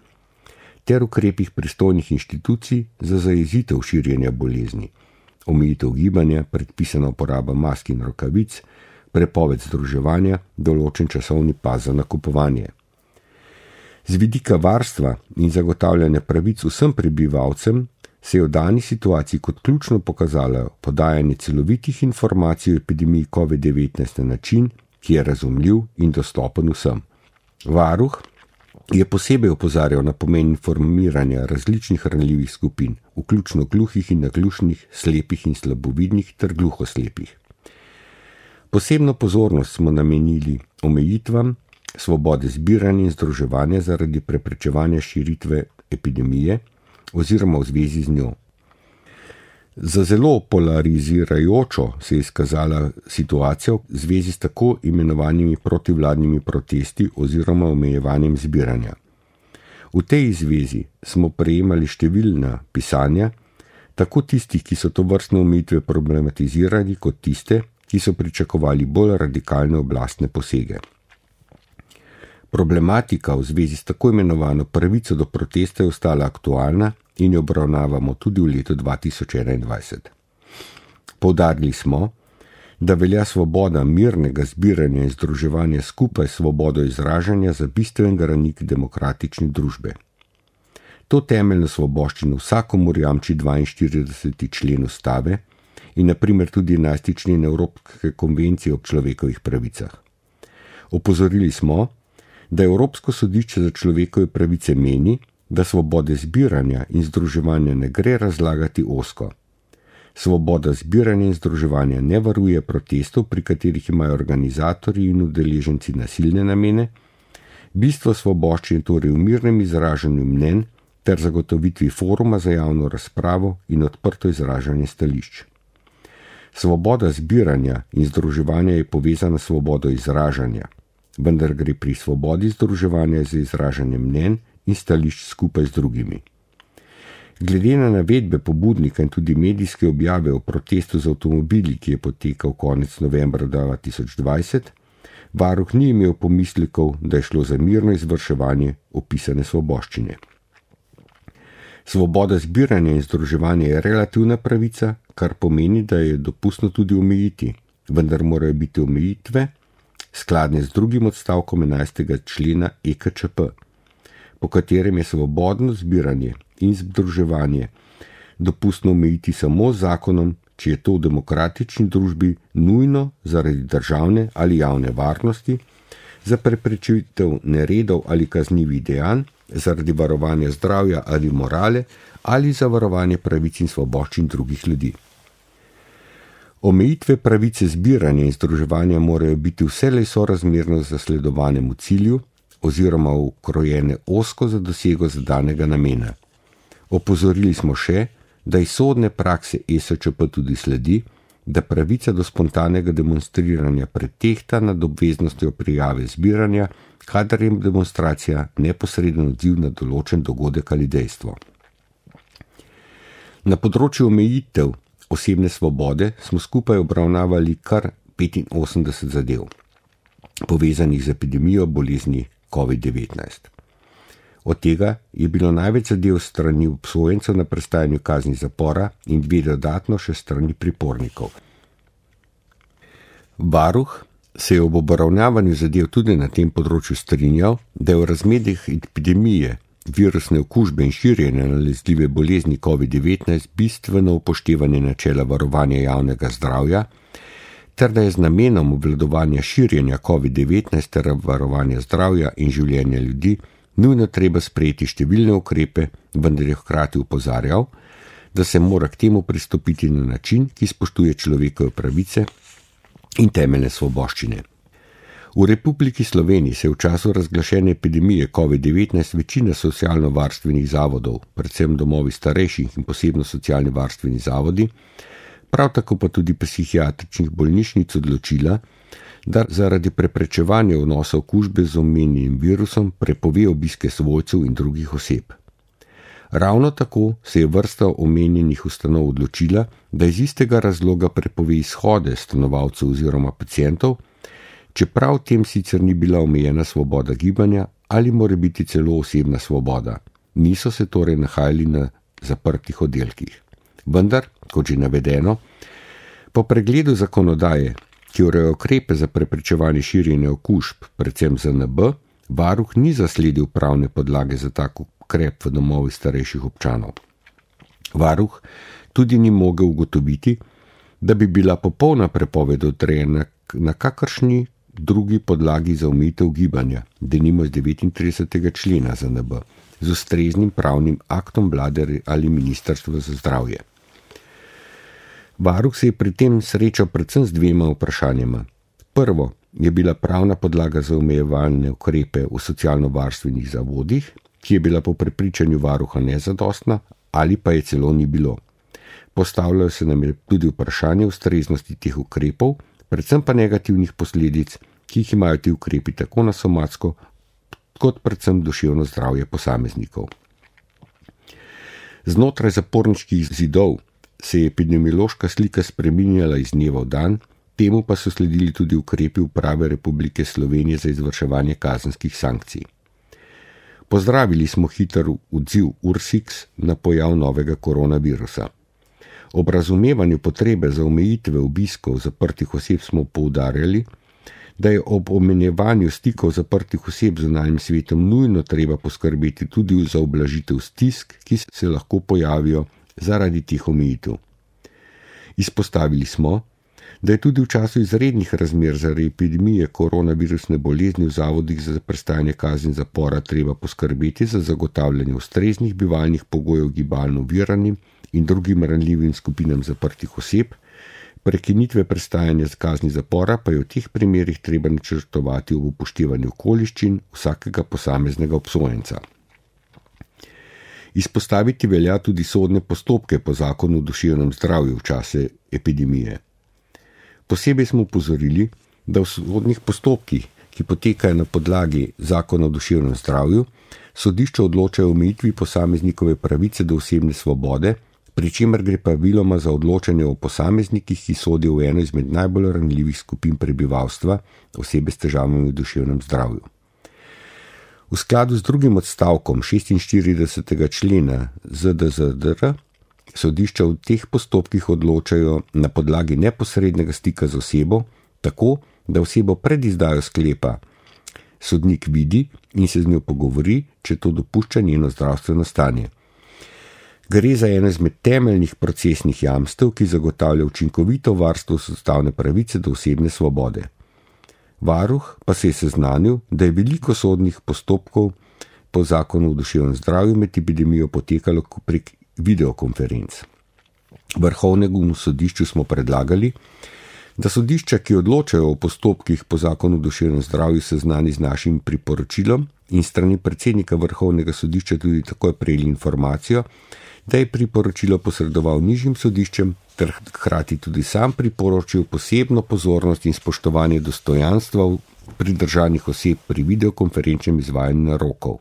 ter ukrepih pristojnih inštitucij za zajezitev širjenja bolezni, omejitev gibanja, predpisana uporaba mask in rokavic, prepoved združevanja, določen časovni pas za nakupovanje. Z vidika varstva in zagotavljanja pravic vsem prebivalcem se je v dani situaciji kot ključno pokazalo podajanje celovitih informacij o epidemiji COVID-19 na način, ki je razumljiv in dostopen vsem. Varuh je posebej opozarjal na pomen informiranja različnih ranljivih skupin, vključno gluhih in naglušnih, slepih in slabovidnih ter gluhoslepih. Posebno pozornost smo namenili omejitvam svobode zbiranja in združevanja zaradi preprečevanja širitve epidemije oziroma v zvezi z njo. Za zelo polarizirajočo se je izkazala situacija v zvezi s tako imenovanimi protivladnimi protesti oziroma omejevanjem zbiranja. V tej zvezi smo prejemali številna pisanja, tako tistih, ki so tovrstne omejitve problematizirali, kot tiste, ki so pričakovali bolj radikalne oblastne posege. Problematika v zvezi s tako imenovano pravico do protesta je ostala aktualna in jo obravnavamo tudi v letu 2021. Poudarili smo, da velja svoboda mirnega zbiranja in združevanja skupaj s svobodo izražanja za bistven branik demokratične družbe. To temeljno svoboščino vsakomur jamči 42. člen Ustave in na primer tudi 11. člen Evropske konvencije o človekovih pravicah. Opozorili smo, da Evropsko sodišče za človekove pravice meni, da svobode zbiranja in združevanja ne gre razlagati ozko. Svoboda zbiranja in združevanja ne varuje protestov, pri katerih imajo organizatorji in udeleženci nasilne namene, bistvo svoboščine torej v mirnem izražanju mnenj ter zagotovitvi foruma za javno razpravo in odprto izražanje stališč. Svoboda zbiranja in združevanja je povezana s svobodo izražanja, vendar gre pri svobodi združevanja za izražanje mnenj in stališč skupaj z drugimi. Glede na navedbe pobudnika in tudi medijske objave o protestu z avtomobili, ki je potekal konec novembra 2020, varuh ni imel pomislekov, da je šlo za mirno izvrševanje opisane svoboščine. Svoboda zbiranja in združevanja je relativna pravica, kar pomeni, da je dopustno tudi omejiti, vendar morajo biti omejitve skladne z drugim odstavkom 11. člena EKČP, po katerem je svobodno zbiranje in združevanje dopustno omejiti samo z zakonom, če je to v demokratični družbi nujno zaradi državne ali javne varnosti, za preprečitev neredov ali kaznivih dejanj, zaradi varovanja zdravja ali morale ali za varovanje pravic in svoboščin drugih ljudi. Omejitve pravice zbiranja in združevanja morajo biti vselej sorazmerno zasledovanemu cilju oziroma ukrojene ozko za dosego zadanega namena. Opozorili smo še, da iz sodne prakse ESČP tudi sledi, da pravica do spontanega demonstriranja pretehta nad obveznostjo prijave zbiranja, kadar je demonstracija neposreden odziv na določen dogodek ali dejstvo. Na področju omejitev osebne svobode smo skupaj obravnavali kar 85 zadev, povezanih z epidemijo bolezni COVID-19. Od tega je bilo največ zadev strani obsojencev na prestajanju kazni zapora in 2 dodatno še strani pripornikov. Varuh se je ob obravnavanju zadev tudi na tem področju strinjal, da je v razmerah epidemije, virusne okužbe in širjenja nalezljive bolezni COVID-19 bistveno upoštevanje načela varovanja javnega zdravja, ter da je z namenom obvladovanja širjenja COVID-19 ter varovanja zdravja in življenja ljudi nujno treba sprejeti številne ukrepe, vendar je hkrati opozarjal, da se mora k temu pristopiti na način, ki spoštuje človekove pravice in temeljne svoboščine. V Republiki Sloveniji se je v času razglašene epidemije COVID-19 večina socialno-varstvenih zavodov, predvsem domovi starejših in posebno socialni varstveni zavodi, prav tako pa tudi psihiatričnih bolnišnic odločila, da zaradi preprečevanja vnosa okužbe z omenjenim virusom prepove obiske svojcev in drugih oseb. Ravno tako se je vrsta omenjenih ustanov odločila, da iz istega razloga prepove izhode stanovalcev oziroma pacientov, čeprav tem sicer ni bila omejena svoboda gibanja ali morebiti celo osebna svoboda. Niso se torej nahajali na zaprtih oddelkih. Vendar, kot že navedeno, po pregledu zakonodaje, ki ureja ukrepe za preprečevanje širjenja okužb, predvsem ZNB, varuh ni zasledil pravne podlage za tak ukrep v domovih starejših občanov. Varuh tudi ni mogel ugotoviti, da bi bila popolna prepoved odrejena na kakršni drugi podlagi za omejitev gibanja, denimo z 39. člena ZNB, z ustreznim pravnim aktom vlade ali ministrstva za zdravje. Varuh se je pri tem srečal predvsem z dvema vprašanjama. Prvo je bila pravna podlaga za omejevalne ukrepe v socialno-varstvenih zavodih, ki je bila po prepričanju varuha nezadostna ali pa je celo ni bilo. Postavljajo se nam tudi vprašanje ustreznosti teh ukrepov, predvsem pa negativnih posledic, ki jih imajo ti ukrepi tako na somatsko, kot predvsem duševno zdravje posameznikov. Znotraj zaporniških zidov se je epidemiološka slika spreminjala iz dneva v dan, temu pa so sledili tudi ukrepi Uprave Republike Slovenije za izvrševanje kazenskih sankcij. Pozdravili smo hiter odziv URSIKS na pojav novega koronavirusa. Ob razumevanju potrebe za omejitve obiskov zaprtih oseb smo poudarjali, da je ob omenjevanju stikov zaprtih oseb z zunanjim svetom nujno treba poskrbeti tudi za ublažitev stisk, ki se lahko pojavijo zaradi teh omejitev. Izpostavili smo, da je tudi v času izrednih razmer zaradi epidemije koronavirusne bolezni v zavodih za prestajanje kazni zapora treba poskrbeti za zagotavljanje ustreznih bivalnih pogojev gibalno oviranim in drugim ranljivim skupinam zaprtih oseb, prekinitve prestajanja kazni zapora pa je v teh primerih treba načrtovati ob upoštevanju okoliščin vsakega posameznega obsojenca. Izpostaviti velja tudi sodne postopke po zakonu o duševnem zdravju v čase epidemije. Posebej smo upozorili, da v sodnih postopkih, ki potekajo na podlagi zakona o duševnem zdravju, sodišča odločajo o omejitvi posameznikove pravice do osebne svobode, pri čemer gre praviloma za odločanje o posameznikih, ki sodijo v eno izmed najbolj ranljivih skupin prebivalstva, osebe s težavami v duševnem zdravju. V skladu z drugim odstavkom 46. člena ZDZDR sodišča v teh postopkih odločajo na podlagi neposrednega stika z osebo, tako, da osebo pred izdajo sklepa sodnik vidi in se z njo pogovori, če to dopušča njeno zdravstveno stanje. Gre za eno izmed temeljnih procesnih jamstev, ki zagotavlja učinkovito varstvo ustavne pravice do osebne svobode. Varuh pa se je seznanil, da je veliko sodnih postopkov po zakonu o duševnem zdravju med epidemijo potekalo prek videokonferenc. Vrhovnemu sodišču smo predlagali, da sodišča, ki odločajo o postopkih po zakonu o duševnem zdravju, seznani z našim priporočilom in strani predsednika Vrhovnega sodišča tudi takoj prejeli informacijo, da je priporočilo posredoval nižjim sodiščem ter hkrati tudi sam priporočil posebno pozornost in spoštovanje dostojanstva pridržanih oseb pri videokonferenčnem izvajanju narokov.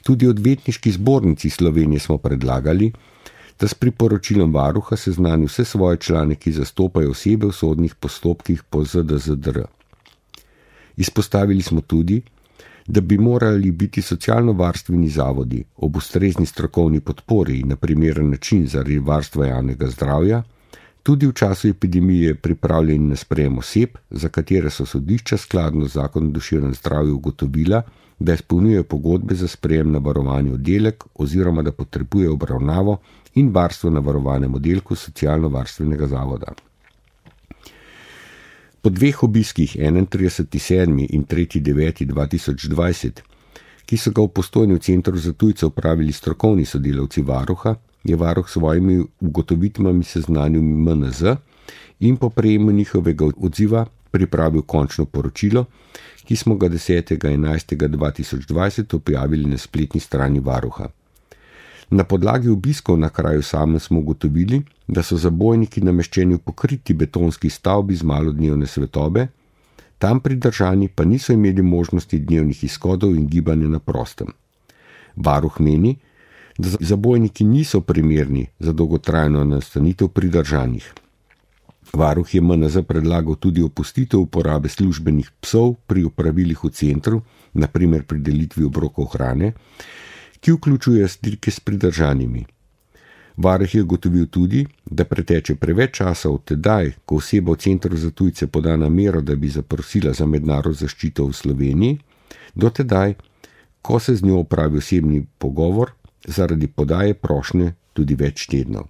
Tudi odvetniški zbornici Slovenije smo predlagali, da s priporočilom varuha seznani vse svoje člane, ki zastopajo osebe v sodnih postopkih po ZDZDR. Izpostavili smo tudi, da bi morali biti socialno-varstveni zavodi ob ustrezni strokovni podpori in na primeren način zaradi varstva javnega zdravja tudi v času epidemije pripravljeni na sprejem oseb, za katere so sodišča skladno z zakonom o duševnem zdravju ugotovila, da izpolnjujejo pogodbe za sprejem na varovani oddelek oziroma da potrebujejo obravnavo in varstvo na varovanem oddelku socialno-varstvenega zavoda. Po dveh obiskih 31.7. in 3.9.2020, ki so ga v Postojni v Centru za tujce opravili strokovni sodelavci varuha, je varuh svojimi ugotovitvami seznanil MNZ in po prejemu njihovega odziva pripravil končno poročilo, ki smo ga 10.11.2020 objavili na spletni strani varuha. Na podlagi obiskov na kraju samem smo ugotovili, da so zabojniki nameščeni v pokriti betonski stavbi z malodnevne svetlobe, Tam pridržani pa niso imeli možnosti dnevnih izhodov in gibanja na prostem. Varuh meni, da zabojniki niso primerni za dolgotrajno nastanitev pridržanih. Varuh je MNZ predlagal tudi opustitev uporabe službenih psov pri opravilih v centru, naprimer pri delitvi obrokov hrane, ki vključuje stike s pridržanimi. Varuh je ugotovil tudi, da preteče preveč časa od tedaj, ko oseba v centru za tujce poda namero, da bi zaprosila za mednarodno zaščito v Sloveniji, do tedaj, ko se z njo opravi osebni pogovor, zaradi podaje prošnje tudi več tednov.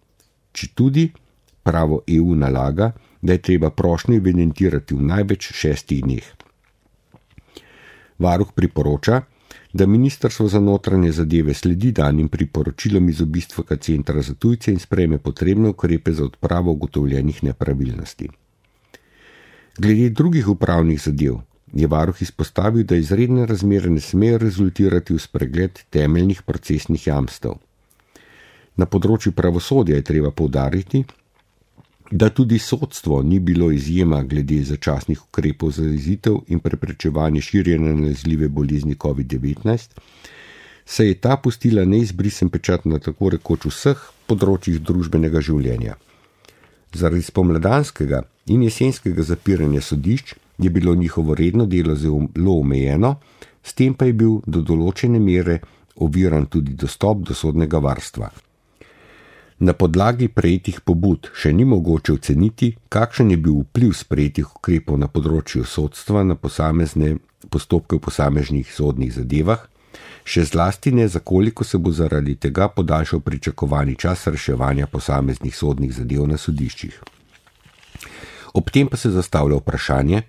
Četudi pravo EU nalaga, da je treba prošnjo evidentirati v največ 6 dneh. Varuh priporoča, da Ministrstvo za notranje zadeve sledi danim priporočilom iz obistvega centra za tujce in sprejme potrebne ukrepe za odpravo ugotovljenih nepravilnosti. Glede drugih upravnih zadev je varuh izpostavil, da izredne razmere ne smejo rezultirati v spregled temeljnih procesnih jamstev. Na področju pravosodja je treba poudariti, da tudi sodstvo ni bilo izjema glede začasnih ukrepov za zajezitev in preprečevanje širjenja nalezljive bolezni COVID-19, saj je ta pustila neizbrisen pečat na tako rekoč vseh področjih družbenega življenja. Zaradi spomladanskega in jesenskega zapiranja sodišč je bilo njihovo redno delo zelo omejeno, s tem pa je bil do določene mere oviran tudi dostop do sodnega varstva. Na podlagi prejetih pobud še ni mogoče oceniti, kakšen je bil vpliv sprejetih ukrepov na področju sodstva na posamezne postopke v posameznih sodnih zadevah, še zlasti ne, za koliko se bo zaradi tega podaljšal pričakovani čas reševanja posameznih sodnih zadev na sodiščih. Ob tem pa se zastavlja vprašanje,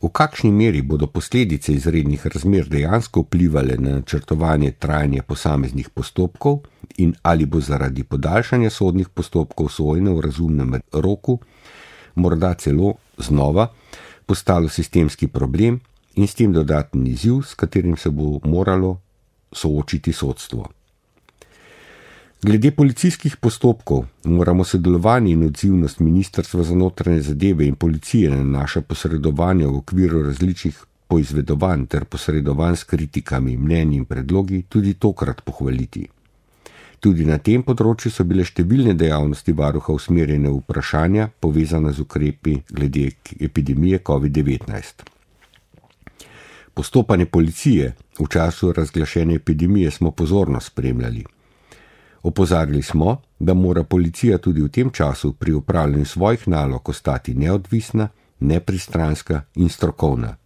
v kakšni meri bodo posledice izrednih razmer dejansko vplivale na načrtovanje trajanja posameznih postopkov in ali bo zaradi podaljšanja sodnih postopkov sojenja v razumnem roku morda celo znova postalo sistemski problem in s tem dodatni izziv, s katerim se bo moralo soočiti sodstvo. Glede policijskih postopkov moramo sodelovanje in odzivnost Ministrstva za notranje zadeve in policije na naša posredovanja v okviru različnih poizvedovanj ter posredovanj s kritikami, mnenji in predlogi tudi tokrat pohvaliti. Tudi na tem področju so bile številne dejavnosti varuha usmerjene v vprašanja povezana z ukrepi glede epidemije COVID-19. Postopanje policije v času razglašene epidemije smo pozorno spremljali. Opozarjali smo, da mora policija tudi v tem času pri upravljanju svojih nalog ostati neodvisna, nepristranska in strokovna.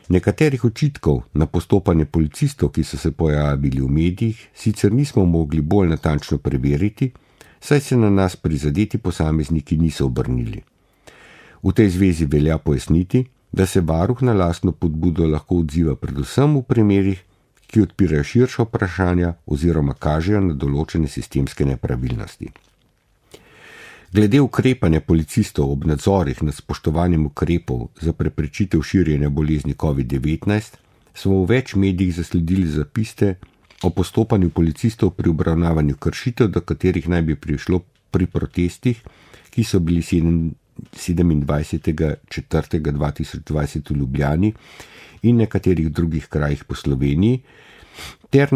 Nekaterih očitkov na postopanje policistov, ki so se pojavili v medijih, sicer nismo mogli bolj natančno preveriti, saj se na nas prizadeti posamezniki niso obrnili. V tej zvezi velja pojasniti, da se varuh na lastno pobudo lahko odziva predvsem v primerih, ki odpirajo širša vprašanja oziroma kažejo na določene sistemske nepravilnosti. Glede ukrepanja policistov ob nadzorih nad spoštovanjem ukrepov za preprečitev širjenja bolezni COVID-19 smo v več medijih zasledili zapise o postopanju policistov pri obravnavanju kršitev, do katerih naj bi prišlo pri protestih, ki so bili 27.4.2020 v Ljubljani in nekaterih drugih krajih po Sloveniji, ter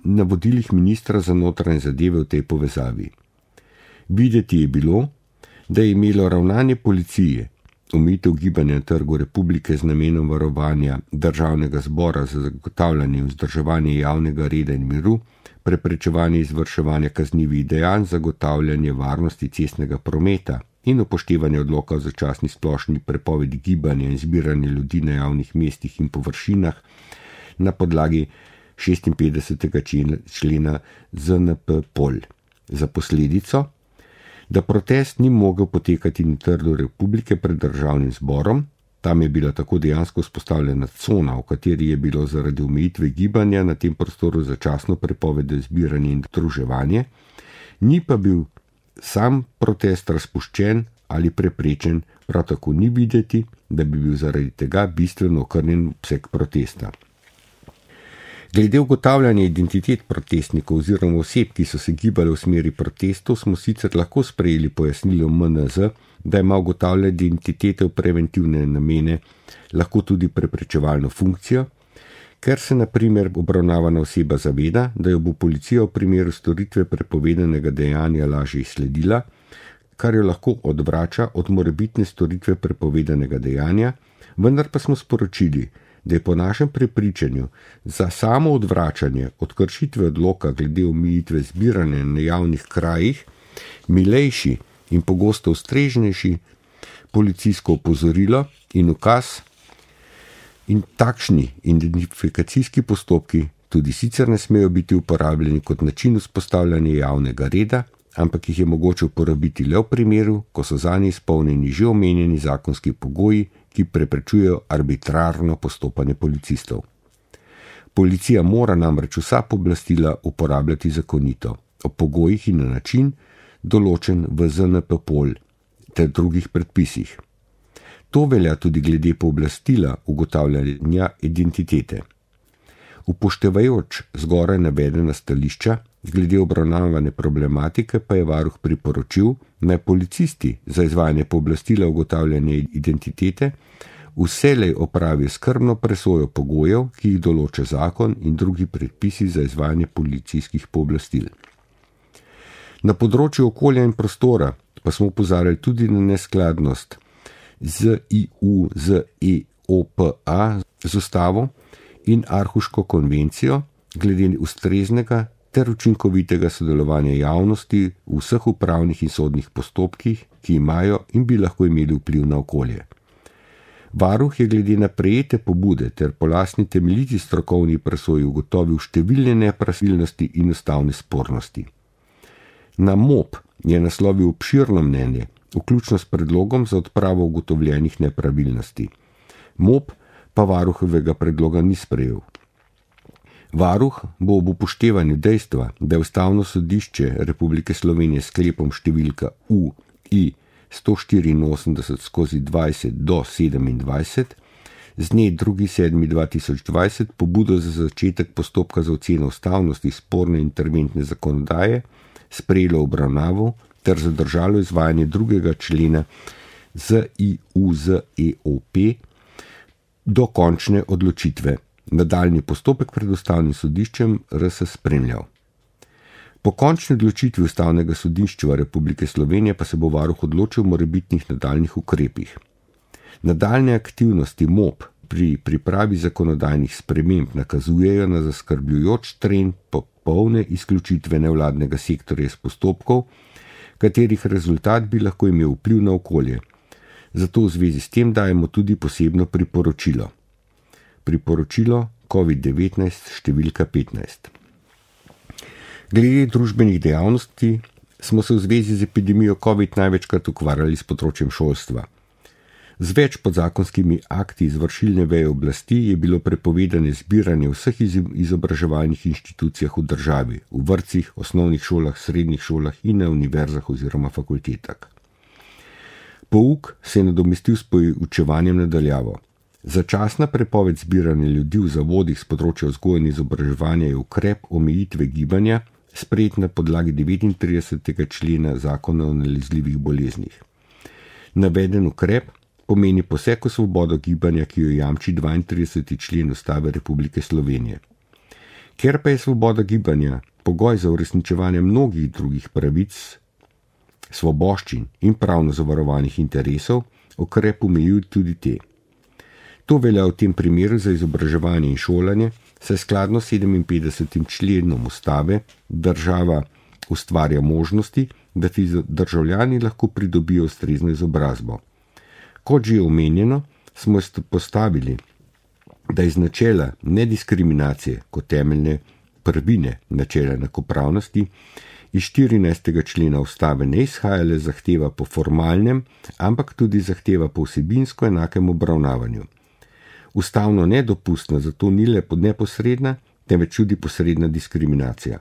na vodilih ministra za notranje zadeve v tej povezavi. Videti je bilo, da je imelo ravnanje policije, omejitev gibanja na trgu republike z namenom varovanja državnega zbora za zagotavljanje in vzdrževanje javnega reda in miru, preprečevanje izvrševanja kaznivih dejanj, zagotavljanje varnosti cestnega prometa in upoštevanje odloka o začasni splošni prepovedi gibanja in zbiranja ljudi na javnih mestih in površinah na podlagi 56. člena ZNP-POL. Za posledico, da protest ni mogel potekati na trgu republike pred državnim zborom, tam je bila tako dejansko vzpostavljena cona, v kateri je bilo zaradi omejitve gibanja na tem prostoru začasno prepoved zbiranja in združevanje, ni pa bil sam protest razpuščen ali preprečen, prav tako ni videti, da bi bil zaradi tega bistveno okrnjen obseg protesta. Glede ugotavljanja identitet protestnikov oziroma oseb, ki so se gibale v smeri protestov, smo sicer lahko sprejeli pojasnilo MNZ, da ima ugotavljanje identitete v preventivne namene lahko tudi preprečevalno funkcijo, ker se na primer obravnavana oseba zaveda, da jo bo policija v primeru storitve prepovedanega dejanja lažje izsledila, kar jo lahko odvrača od morebitne storitve prepovedanega dejanja, vendar pa smo sporočili, da je po našem prepričanju za samo odvračanje od kršitve odloka glede omejitve zbiranja na javnih krajih milejši in pogosto ustreznejši policijsko opozorilo in ukaz, in takšni identifikacijski postopki tudi sicer ne smejo biti uporabljeni kot način vzpostavljanja javnega reda, ampak jih je mogoče uporabiti le v primeru, ko so zanje izpolnjeni že omenjeni zakonski pogoji, ki preprečujejo arbitrarno postopanje policistov. Policija mora namreč vsa pooblastila uporabljati zakonito, o pogojih in na način, določen v ZNP-POL ter drugih predpisih. To velja tudi glede pooblastila ugotavljanja identitete. Upoštevajoč zgoraj navedena stališča, glede obravnavane problematike pa je varuh priporočil, naj policisti za izvajanje pooblastila ugotavljanja identitete vselej opravijo skrbno presojo pogojev, ki jih določa zakon in drugi predpisi za izvajanje policijskih pooblastil. Na področju okolja in prostora pa smo opozarjali tudi na neskladnost z IUZEOPA z ustavo in Arhuško konvencijo glede ustreznega ter učinkovitega sodelovanja javnosti v vseh upravnih in sodnih postopkih, ki imajo in bi lahko imeli vpliv na okolje. Varuh je glede na prejete pobude ter po lastni temeljiti strokovni presoji ugotovil številne nepravilnosti in ustavne spornosti. Na MOP je naslovil obširno mnenje, vključno s predlogom za odpravo ugotovljenih nepravilnosti. MOP pa varuhovega predloga ni sprejel. Varuh bo ob upoštevanju dejstva, da je Ustavno sodišče Republike Slovenije sklepom številka UI 184/20 z dne 2.7.2020 pobudo za začetek postopka za oceno ustavnosti sporne interventne zakonodaje sprejelo obravnavo ter zadržalo izvajanje 2. člena ZIUZEOP do končne odločitve. Nadaljnji postopek pred Ustavnim sodiščem RS spremljal. Po končni odločitvi Ustavnega sodišča Republike Slovenije pa se bo varuh odločil o morebitnih nadaljnih ukrepih. Nadaljne aktivnosti MOP pri pripravi zakonodajnih sprememb nakazujejo na zaskrbljujoč trend popolne izključitve nevladnega sektorja iz postopkov, katerih rezultat bi lahko imel vpliv na okolje. Zato v zvezi s tem dajemo tudi posebno priporočilo. Priporočilo COVID-19 številka 15. Glede družbenih dejavnosti smo se v zvezi z epidemijo COVID največkrat ukvarjali s področjem šolstva. Z več podzakonskimi akti izvršilne veje oblasti je bilo prepovedane zbiranje v vseh izobraževalnih inštitucijah v državi, v vrtcih, osnovnih šolah, srednjih šolah in na univerzah oziroma fakultetah. Pouk se je nadomestil s poučevanjem na daljavo. Začasna prepoved zbiranja ljudi v zavodih s področja vzgoje in izobraževanja je ukrep omejitve gibanja, sprejet na podlagi 39. člena Zakona o nalezljivih boleznih. Naveden ukrep pomeni poseg v svobodo gibanja, ki jo jamči 32. člen Ustave Republike Slovenije. Ker pa je svoboda gibanja pogoj za uresničevanje mnogih drugih pravic, svoboščin in pravno zavarovanih interesov, ukrep omejuje tudi te. To velja v tem primeru za izobraževanje in šolanje, saj skladno s 57. členom Ustave država ustvarja možnosti, da ti državljani lahko pridobijo ustrezno izobrazbo. Kot že omenjeno, smo postavili, da iz načela nediskriminacije kot temeljne prvine načela enakopravnosti iz 14. člena Ustave ne izhaja le zahteva po formalnem, ampak tudi zahteva po vsebinsko enakem obravnavanju. Ustavno nedopustna zato ni le neposredna, temveč tudi posredna diskriminacija.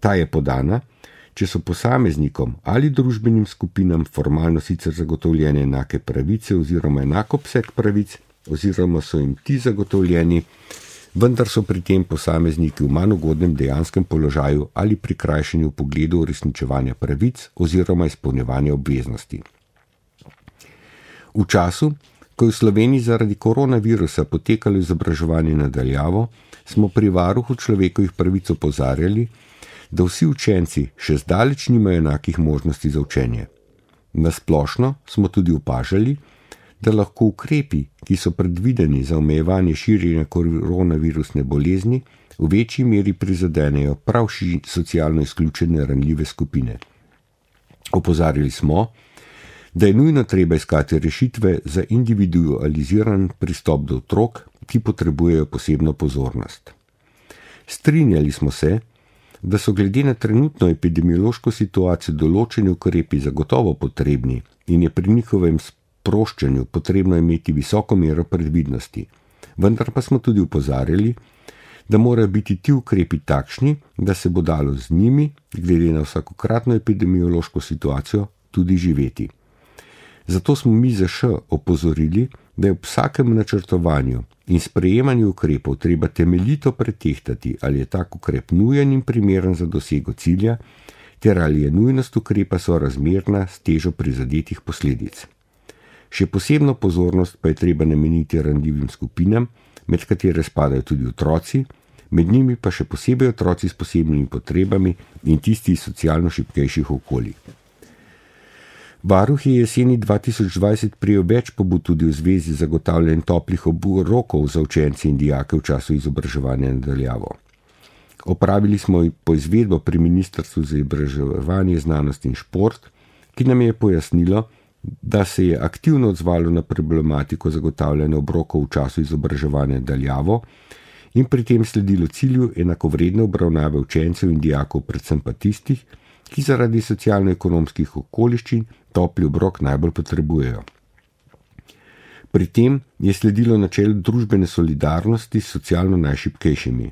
Ta je podana, če so posameznikom ali družbenim skupinam formalno sicer zagotovljene enake pravice oziroma enak obseg pravic, oziroma so jim ti zagotovljeni vendar so pri tem posamezniki v manj ugodnem dejanskem položaju ali prikrajšani v pogledu uresničevanja pravic oziroma izpolnjevanja obveznosti. V času, ko je v Sloveniji zaradi koronavirusa potekalo izobraževanje na daljavo, smo pri varuhu človekovih pravic opozarjali, da vsi učenci še zdaleč nimajo enakih možnosti za učenje. Na splošno smo tudi opažali, da lahko ukrepi, ki so predvideni za omejevanje širjenja koronavirusne bolezni, v večji meri prizadenejo prav socialno izključene ranljive skupine. Opozarjali smo, da je nujno treba iskati rešitve za individualiziran pristop do otrok, ki potrebujejo posebno pozornost. Strinjali smo se, da so glede na trenutno epidemiološko situacijo določeni ukrepi zagotovo potrebni in je pri njihovem sproščanju potrebno imeti visoko mero predvidnosti. Vendar pa smo tudi opozarjali, da morajo biti ti ukrepi takšni, da se bo dalo z njimi, glede na vsakokratno epidemiološko situacijo, tudi živeti. Zato smo mi ZŠ opozorili, da je ob vsakem načrtovanju in sprejemanju ukrepov treba temeljito pretehtati, ali je tak ukrep nujen in primeren za dosego cilja, ter ali je nujnost ukrepa sorazmerna s težo prizadetih posledic. Še posebno pozornost pa je treba nameniti ranljivim skupinam, med katere spadajo tudi otroci, med njimi pa še posebej otroci s posebnimi potrebami in tisti iz socialno šibkejših okolij. Varuh je jeseni 2020 prijel več pobud tudi v zvezi z zagotavljanjem toplih obrokov za učence in dijake v času izobraževanja na daljavo. Opravili smo poizvedbo pri Ministrstvu za izobraževanje, znanost in šport, ki nam je pojasnilo, da se je aktivno odzvalo na problematiko zagotavljanja obrokov v času izobraževanja na daljavo in pri tem sledilo cilju enakovredne obravnave učencev in dijakov, predvsem pa tistih, ki zaradi socialno-ekonomskih okoliščin topli obrok najbolj potrebujejo. Pri tem je sledilo načelu družbene solidarnosti s socialno najšibkejšimi.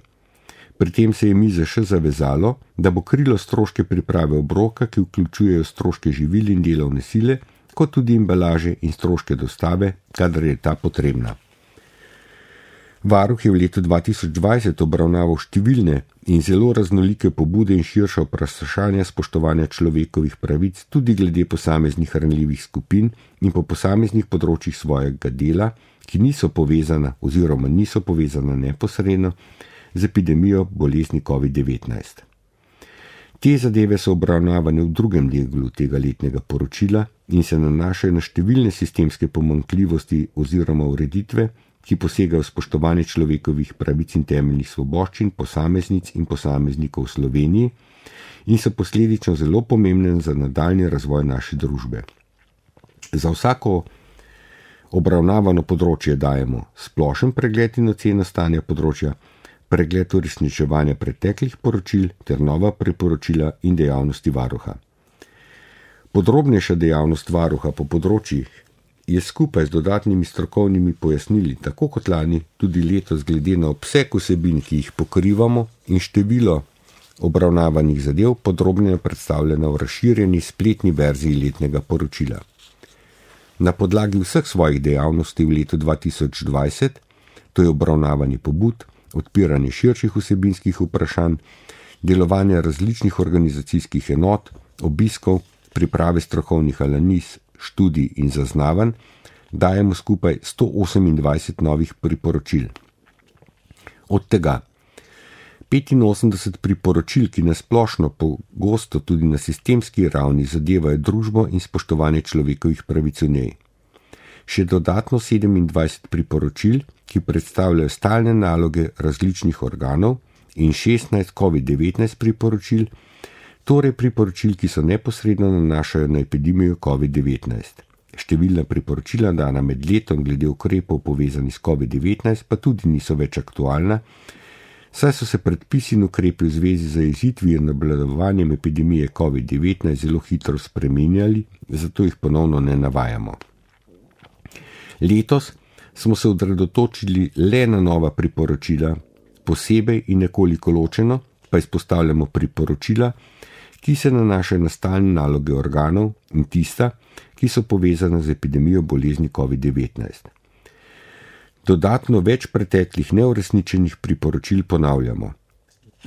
Pri tem se je MIZŠ zavezalo, da bo krilo stroške priprave obroka, ki vključujejo stroške živil in delovne sile, kot tudi embalaže in stroške dostave, kadar je ta potrebna. Varuh je v letu 2020 obravnaval številne in zelo raznolike pobude in širša vprašanja spoštovanja človekovih pravic tudi glede posameznih ranljivih skupin in po posameznih področjih svojega dela, ki niso povezana oziroma niso povezana neposredno z epidemijo bolezni COVID-19. Te zadeve so obravnavane v drugem delu tega letnega poročila in se nanašajo na številne sistemske pomanjkljivosti oziroma ureditve, ki posegajo spoštovanje človekovih pravic in temeljnih svoboščin posameznic in posameznikov v Sloveniji in so posledično zelo pomembne za nadaljnji razvoj naše družbe. Za vsako obravnavano področje dajemo splošen pregled in oceno stanja področja, pregled uresničevanja preteklih poročil ter nova priporočila in dejavnosti varuha. Podrobnejša dejavnost varuha po področjih je skupaj z dodatnimi strokovnimi pojasnili, tako kot lani, tudi letos glede na obseg vsebin, ki jih pokrivamo in število obravnavanih zadev podrobneje predstavljena v razširjeni spletni verziji letnega poročila. Na podlagi vseh svojih dejavnosti v letu 2020, to je obravnavanje pobud, odpiranje širših vsebinskih vprašanj, delovanje različnih organizacijskih enot, obiskov, priprave strokovnih analiz, študij in zaznavanj, dajemo skupaj 128 novih priporočil. Od tega 85 priporočil, ki nasplošno pogosto tudi na sistemski ravni zadevajo družbo in spoštovanje človekovih pravic v njej. Še dodatno 27 priporočil, ki predstavljajo stalne naloge različnih organov in 16 COVID-19 priporočil, torej priporočil, ki so neposredno nanašajo na epidemijo COVID-19. Številna priporočila dana med letom glede ukrepov povezanih s COVID-19 pa tudi niso več aktualna, saj so se predpisi in ukrepi v zvezi z zajezitvijo in obvladovanjem epidemije COVID-19 zelo hitro spreminjali, zato jih ponovno ne navajamo. Letos smo se osredotočili le na nova priporočila, posebej in nekoliko ločeno pa izpostavljamo priporočila, ki se nanašajo na stalne naloge organov in tista, ki so povezane z epidemijo bolezni COVID-19. Dodatno več preteklih neuresničenih priporočil ponavljamo.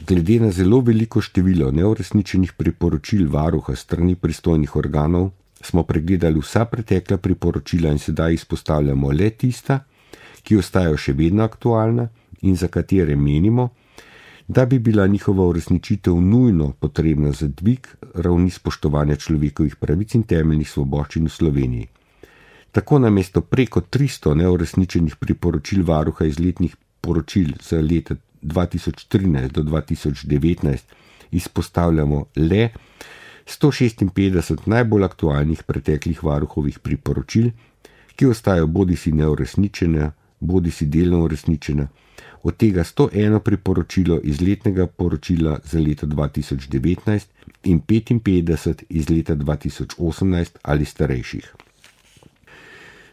Glede na zelo veliko število neuresničenih priporočil varuha strani pristojnih organov smo pregledali vsa pretekla priporočila in sedaj izpostavljamo le tista, ki ostajajo še vedno aktualna in za katere menimo, da bi bila njihova uresničitev nujno potrebna za dvig ravni spoštovanja človekovih pravic in temeljnih svoboščin v Sloveniji. Tako namesto preko 300 neuresničenih priporočil varuha iz letnih poročil za leta 2013 do 2019 izpostavljamo le 156 najbolj aktualnih preteklih varuhovih priporočil, ki ostajajo bodisi neuresničena, bodisi delno uresničena, od tega 101 priporočilo iz letnega poročila za leto 2019 in 55 iz leta 2018 ali starejših.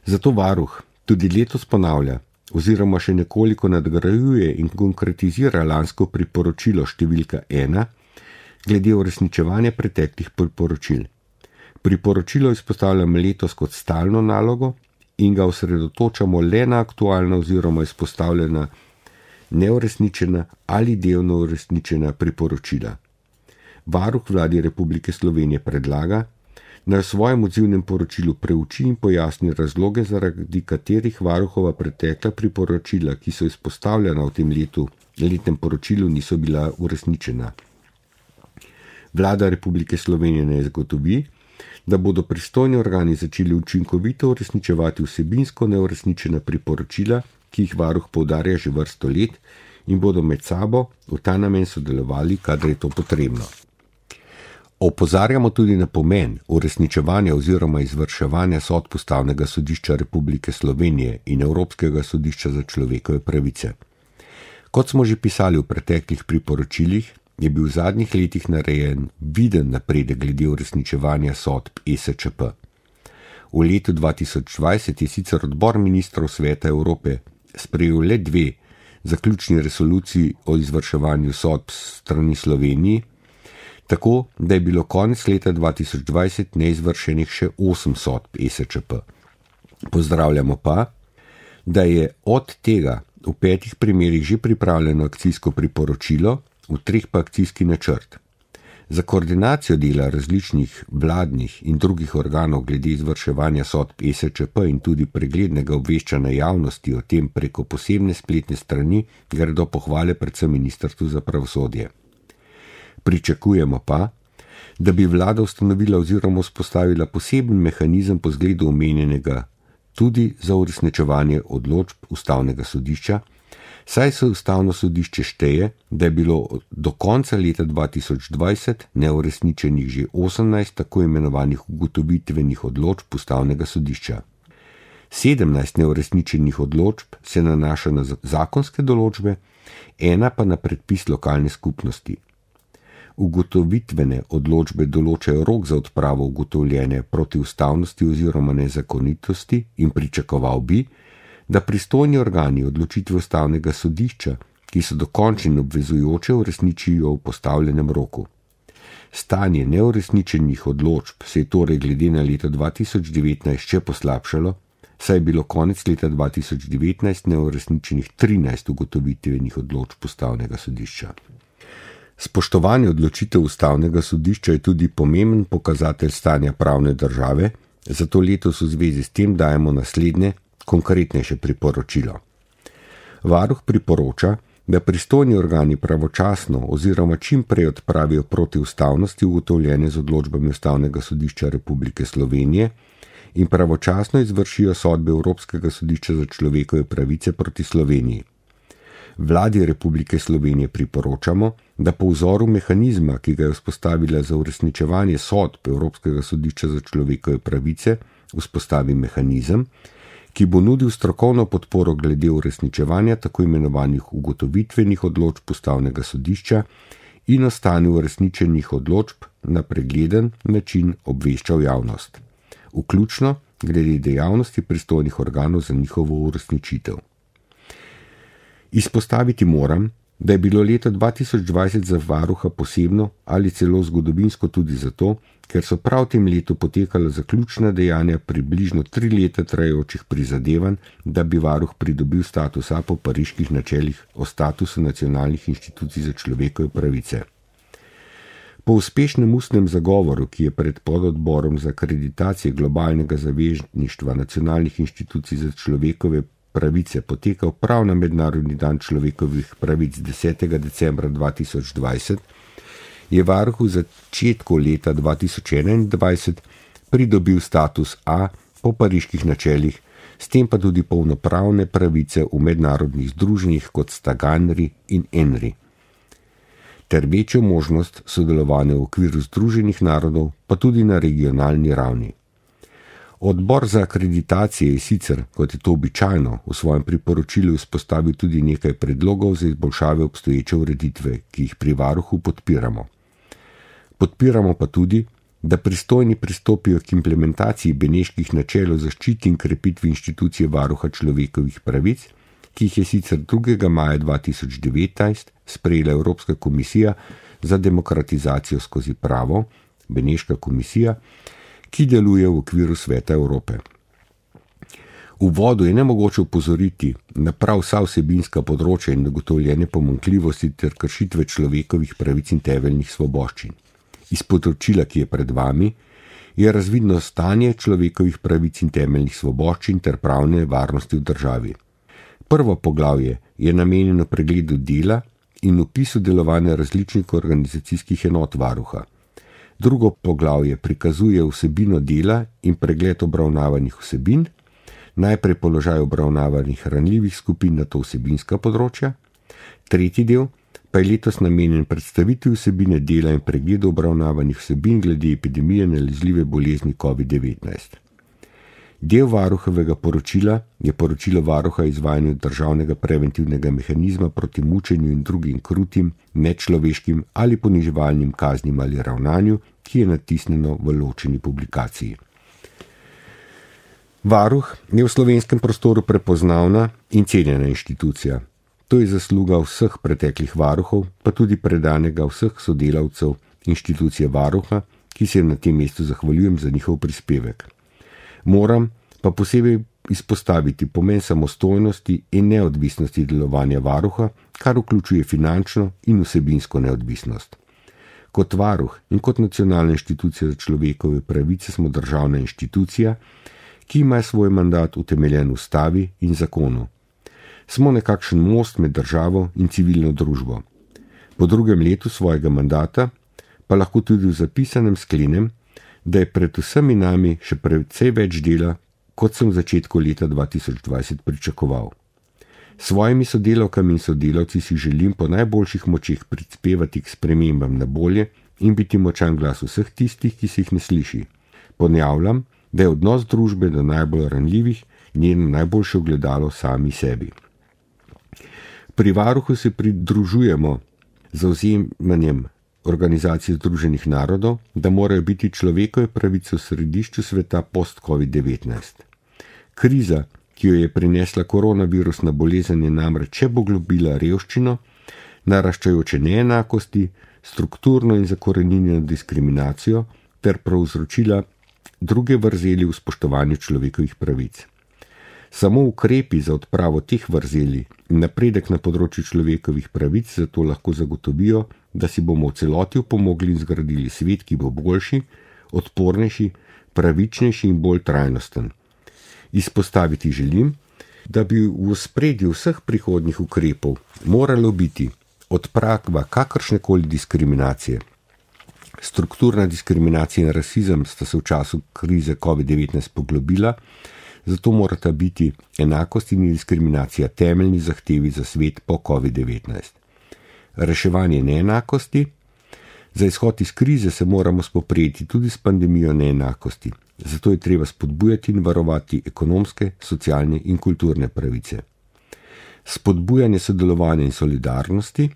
Zato varuh tudi letos ponavlja oziroma še nekoliko nadgrajuje in konkretizira lansko priporočilo številka 1 glede uresničevanja preteklih priporočil. Priporočilo izpostavljamo letos kot stalno nalogo in ga osredotočamo le na aktualna oziroma izpostavljena neuresničena ali delno uresničena priporočila. Varuh Vladi Republike Slovenije predlaga, naj v svojem odzivnem poročilu preuči in pojasni razloge, zaradi katerih varuhova pretekla priporočila, ki so izpostavljena v tem letnem poročilu, niso bila uresničena. Vlada Republike Slovenije naj zagotovi, da bodo pristojni organi začeli učinkovito uresničevati vsebinsko neuresničena priporočila, ki jih varuh poudarja že vrsto let in bodo med sabo v ta namen sodelovali, kadar je to potrebno. Opozarjamo tudi na pomen uresničevanja oziroma izvrševanja sodb Ustavnega sodišča Republike Slovenije in Evropskega sodišča za človekove pravice. Kot smo že pisali v preteklih priporočilih, je bil v zadnjih letih narejen viden napredek glede uresničevanja sodb ESČP. V letu 2020 je sicer odbor ministrov Sveta Evrope sprejel le 2 zaključni resoluciji o izvrševanju sodb strani Sloveniji, tako da je bilo konec leta 2020 neizvršenih še 8 sodb ESČP. Pozdravljamo pa, da je od tega v 5 primerih že pripravljeno akcijsko priporočilo, v 3 pa akcijski načrt. Za koordinacijo dela različnih vladnih in drugih organov glede izvrševanja sodb ESČP in tudi preglednega obveščanja javnosti o tem preko posebne spletne strani gredo pohvale predvsem Ministrstvu za pravosodje. Pričakujemo pa, da bi vlada ustanovila oziroma vzpostavila poseben mehanizem po zgledu omenjenega tudi za uresničevanje odločb Ustavnega sodišča, saj se Ustavno sodišče šteje, da je bilo do konca leta 2020 neuresničenih že 18 tako imenovanih ugotovitvenih odločb Ustavnega sodišča. 17 neuresničenih odločb se nanaša na zakonske določbe, 1 pa na predpis lokalne skupnosti. Ugotovitvene odločbe določajo rok za odpravo ugotovljene protiustavnosti oziroma nezakonitosti in pričakoval bi, da pristojni organi odločitve Ustavnega sodišča, ki so dokončne in obvezujoče, uresničijo v postavljenem roku. Stanje neuresničenih odločb se je torej glede na leto 2019 še poslabšalo, saj je bilo konec leta 2019 neuresničenih 13 ugotovitvenih odločb Ustavnega sodišča. Spoštovanje odločitev Ustavnega sodišča je tudi pomemben pokazatelj stanja pravne države, zato letos v zvezi s tem dajemo naslednje, konkretnejše priporočilo. Varuh priporoča, da pristojni organi pravočasno oziroma čim prej odpravijo protiustavnosti ugotovljene z odločbami Ustavnega sodišča Republike Slovenije in pravočasno izvršijo sodbe Evropskega sodišča za človekove pravice proti Sloveniji. Vladi Republike Slovenije priporočamo, da po vzoru mehanizma, ki ga je vzpostavila za uresničevanje sodb Evropskega sodišča za človekove pravice, vzpostavi mehanizem, ki bo nudil strokovno podporo glede uresničevanja tako imenovanih ugotovitvenih odločb Ustavnega sodišča in o stanju uresničenih odločb na pregleden način obveščal javnost, vključno glede dejavnosti pristojnih organov za njihovo uresničitev. Izpostaviti moram, da je bilo leto 2020 za varuha posebno ali celo zgodovinsko tudi zato, ker so prav v tem letu potekala zaključna dejanja približno 3 leta trajajočih prizadevanj, da bi varuh pridobil status A po pariških načelih o statusu nacionalnih inštitucij za človekove pravice. Po uspešnem ustnem zagovoru, ki je pred pododborom za akreditacije globalnega zavezništva nacionalnih inštitucij za človekove pravice potekal prav na Mednarodni dan človekovih pravic 10. decembra 2020, je varuh v začetku leta 2021 pridobil status A po pariških načelih, s tem pa tudi polnopravne pravice v mednarodnih združenjih kot sta GANRI in ENRI, ter večjo možnost sodelovanja v okviru Združenih narodov, pa tudi na regionalni ravni. Odbor za akreditacije je sicer, kot je to običajno, v svojem priporočilu izpostavil tudi nekaj predlogov za izboljšave obstoječe ureditve, ki jih pri varuhu podpiramo. Podpiramo pa tudi, da pristojni pristopijo k implementaciji beneških načel o zaščiti in krepitvi inštitucije varuha človekovih pravic, ki jih je sicer 2. maja 2019 sprejela Evropska komisija za demokratizacijo skozi pravo, Beneška komisija, ki deluje v okviru Sveta Evrope. V uvodu je nemogoče upozoriti na prav vsa vsebinska področja in ugotovljene pomanjkljivosti ter kršitve človekovih pravic in temeljnih svoboščin. Iz poročila, ki je pred vami, je razvidno stanje človekovih pravic in temeljnih svoboščin ter pravne varnosti v državi. Prvo poglavje je namenjeno pregledu dela in opisu delovanja različnih organizacijskih enot varuha. Drugo poglavje prikazuje vsebino dela in pregled obravnavanih vsebin, najprej položaj obravnavanih ranljivih skupin na to vsebinska področja. Tretji del pa je letos namenjen predstavitvi vsebine dela in pregledu obravnavanih vsebin glede epidemije nalezljive bolezni COVID-19. Del varuhovega poročila je poročilo varuha o izvajanju državnega preventivnega mehanizma proti mučenju in drugim krutim, nečloveškim ali poniževalnim kaznim ali ravnanju, ki je natisnjeno v ločeni publikaciji. Varuh je v slovenskem prostoru prepoznavna in cenjena inštitucija. To je zasluga vseh preteklih varuhov, pa tudi predanega vseh sodelavcev inštitucije varuha, ki se na tem mestu zahvaljujem za njihov prispevek. Moram pa posebej izpostaviti pomen samostojnosti in neodvisnosti delovanja varuha, kar vključuje finančno in vsebinsko neodvisnost. Kot varuh in kot nacionalna inštitucija za človekove pravice smo državna inštitucija, ki ima svoj mandat utemeljen v ustavi in zakonu. Smo nekakšen most med državo in civilno družbo. Po 2. letu svojega mandata pa lahko tudi v zapisanem sklenem, da je pred vsemi nami še precej več dela, kot sem v začetku leta 2020 pričakoval. Svojimi sodelavkami in sodelavci si želim po najboljših močeh prispevati k spremembam na bolje in biti močan glas vseh tistih, ki se jih ne sliši. Ponavljam, da je odnos družbe do najbolj ranljivih njeno najboljše ogledalo sami sebi. Pri varuhu se pridružujemo zavzemanjem Organizacije Združenih narodov, da morajo biti človekove pravice v središču sveta post-COVID-19. Kriza, ki jo je prinesla koronavirusna bolezen, je namreč še poglobila revščino, naraščajoče neenakosti, strukturno in zakoreninjeno diskriminacijo ter povzročila druge vrzeli v spoštovanju človekovih pravic. Samo ukrepi za odpravo teh vrzeli in napredek na področju človekovih pravic zato lahko zagotovijo, da si bomo v celoti pomogli in zgradili svet, ki bo boljši, odpornejši, pravičnejši in bolj trajnosten. Izpostaviti želim, da bi v ospredju vseh prihodnjih ukrepov moralo biti odprava kakršnekoli diskriminacije. Strukturna diskriminacija in rasizem sta se v času krize COVID-19 poglobila, zato morata biti enakost in diskriminacija temeljni zahtevi za svet po COVID-19. Reševanje neenakosti. Za izhod iz krize se moramo spoprijeti tudi s pandemijo neenakosti, zato je treba spodbujati in varovati ekonomske, socialne in kulturne pravice. Spodbujanje sodelovanja in solidarnosti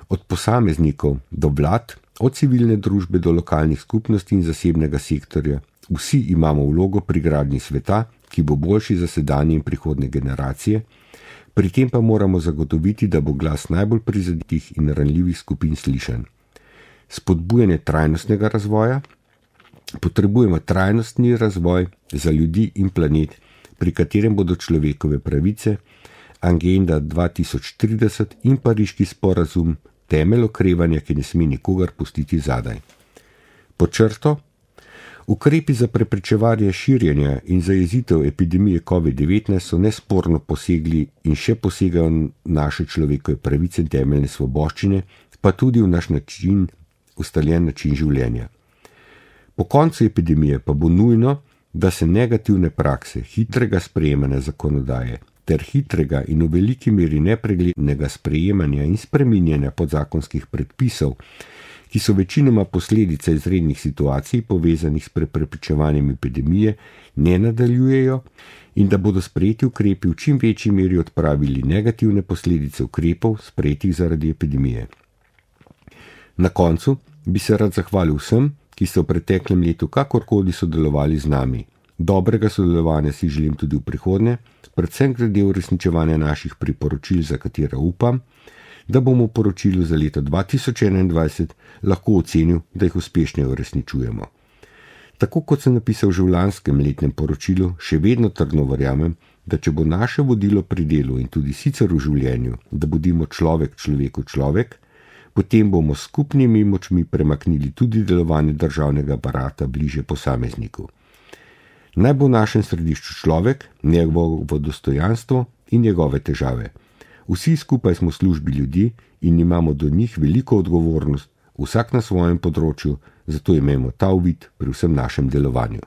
od posameznikov do vlad, od civilne družbe do lokalnih skupnosti in zasebnega sektorja. Vsi imamo vlogo pri gradnji sveta, ki bo boljši za sedanje in prihodnje generacije, Pri tem pa moramo zagotoviti, da bo glas najbolj prizadetih in ranljivih skupin slišan. Spodbujanje trajnostnega razvoja. Potrebujemo trajnostni razvoj za ljudi in planet, pri katerem bodo človekove pravice, Agenda 2030 in Pariški sporazum temelj okrevanja, ki ne sme nikogar pustiti zadaj. Pod črto, ukrepi za preprečevanje širjenja in zajezitev epidemije COVID-19 so nesporno posegli in še posegajo naše človekove pravice in temeljne svoboščine, pa tudi v naš ustaljen način življenja. Po koncu epidemije pa bo nujno, da se negativne prakse hitrega sprejemanja zakonodaje ter hitrega in v veliki meri nepreglednega sprejemanja in spreminjanja podzakonskih predpisov, ki so večinoma posledica izrednih situacij povezanih s preprečevanjem epidemije, ne nadaljujejo in da bodo sprejeti ukrepi v čim večji meri odpravili negativne posledice ukrepov sprejetih zaradi epidemije. Na koncu bi se rad zahvalil vsem, ki so v preteklem letu kakorkoli sodelovali z nami. Dobrega sodelovanja si želim tudi v prihodnje, predvsem glede uresničevanja naših priporočil, za katera upam, da bomo v poročilu za leto 2021 lahko ocenil, da jih uspešno uresničujemo. Tako kot sem napisal že v lanskem letnem poročilu, še vedno trdno verjamem, da če bo naše vodilo pri delu in tudi sicer v življenju, da bodimo človek človeku človek, potem bomo s skupnimi močmi premaknili tudi delovanje državnega aparata bliže posamezniku. Naj bo v našem središču človek, njegovo dostojanstvo in njegove težave. Vsi skupaj smo v službi ljudi in imamo do njih veliko odgovornost, vsak na svojem področju, zato imejmo ta uvid pri vsem našem delovanju.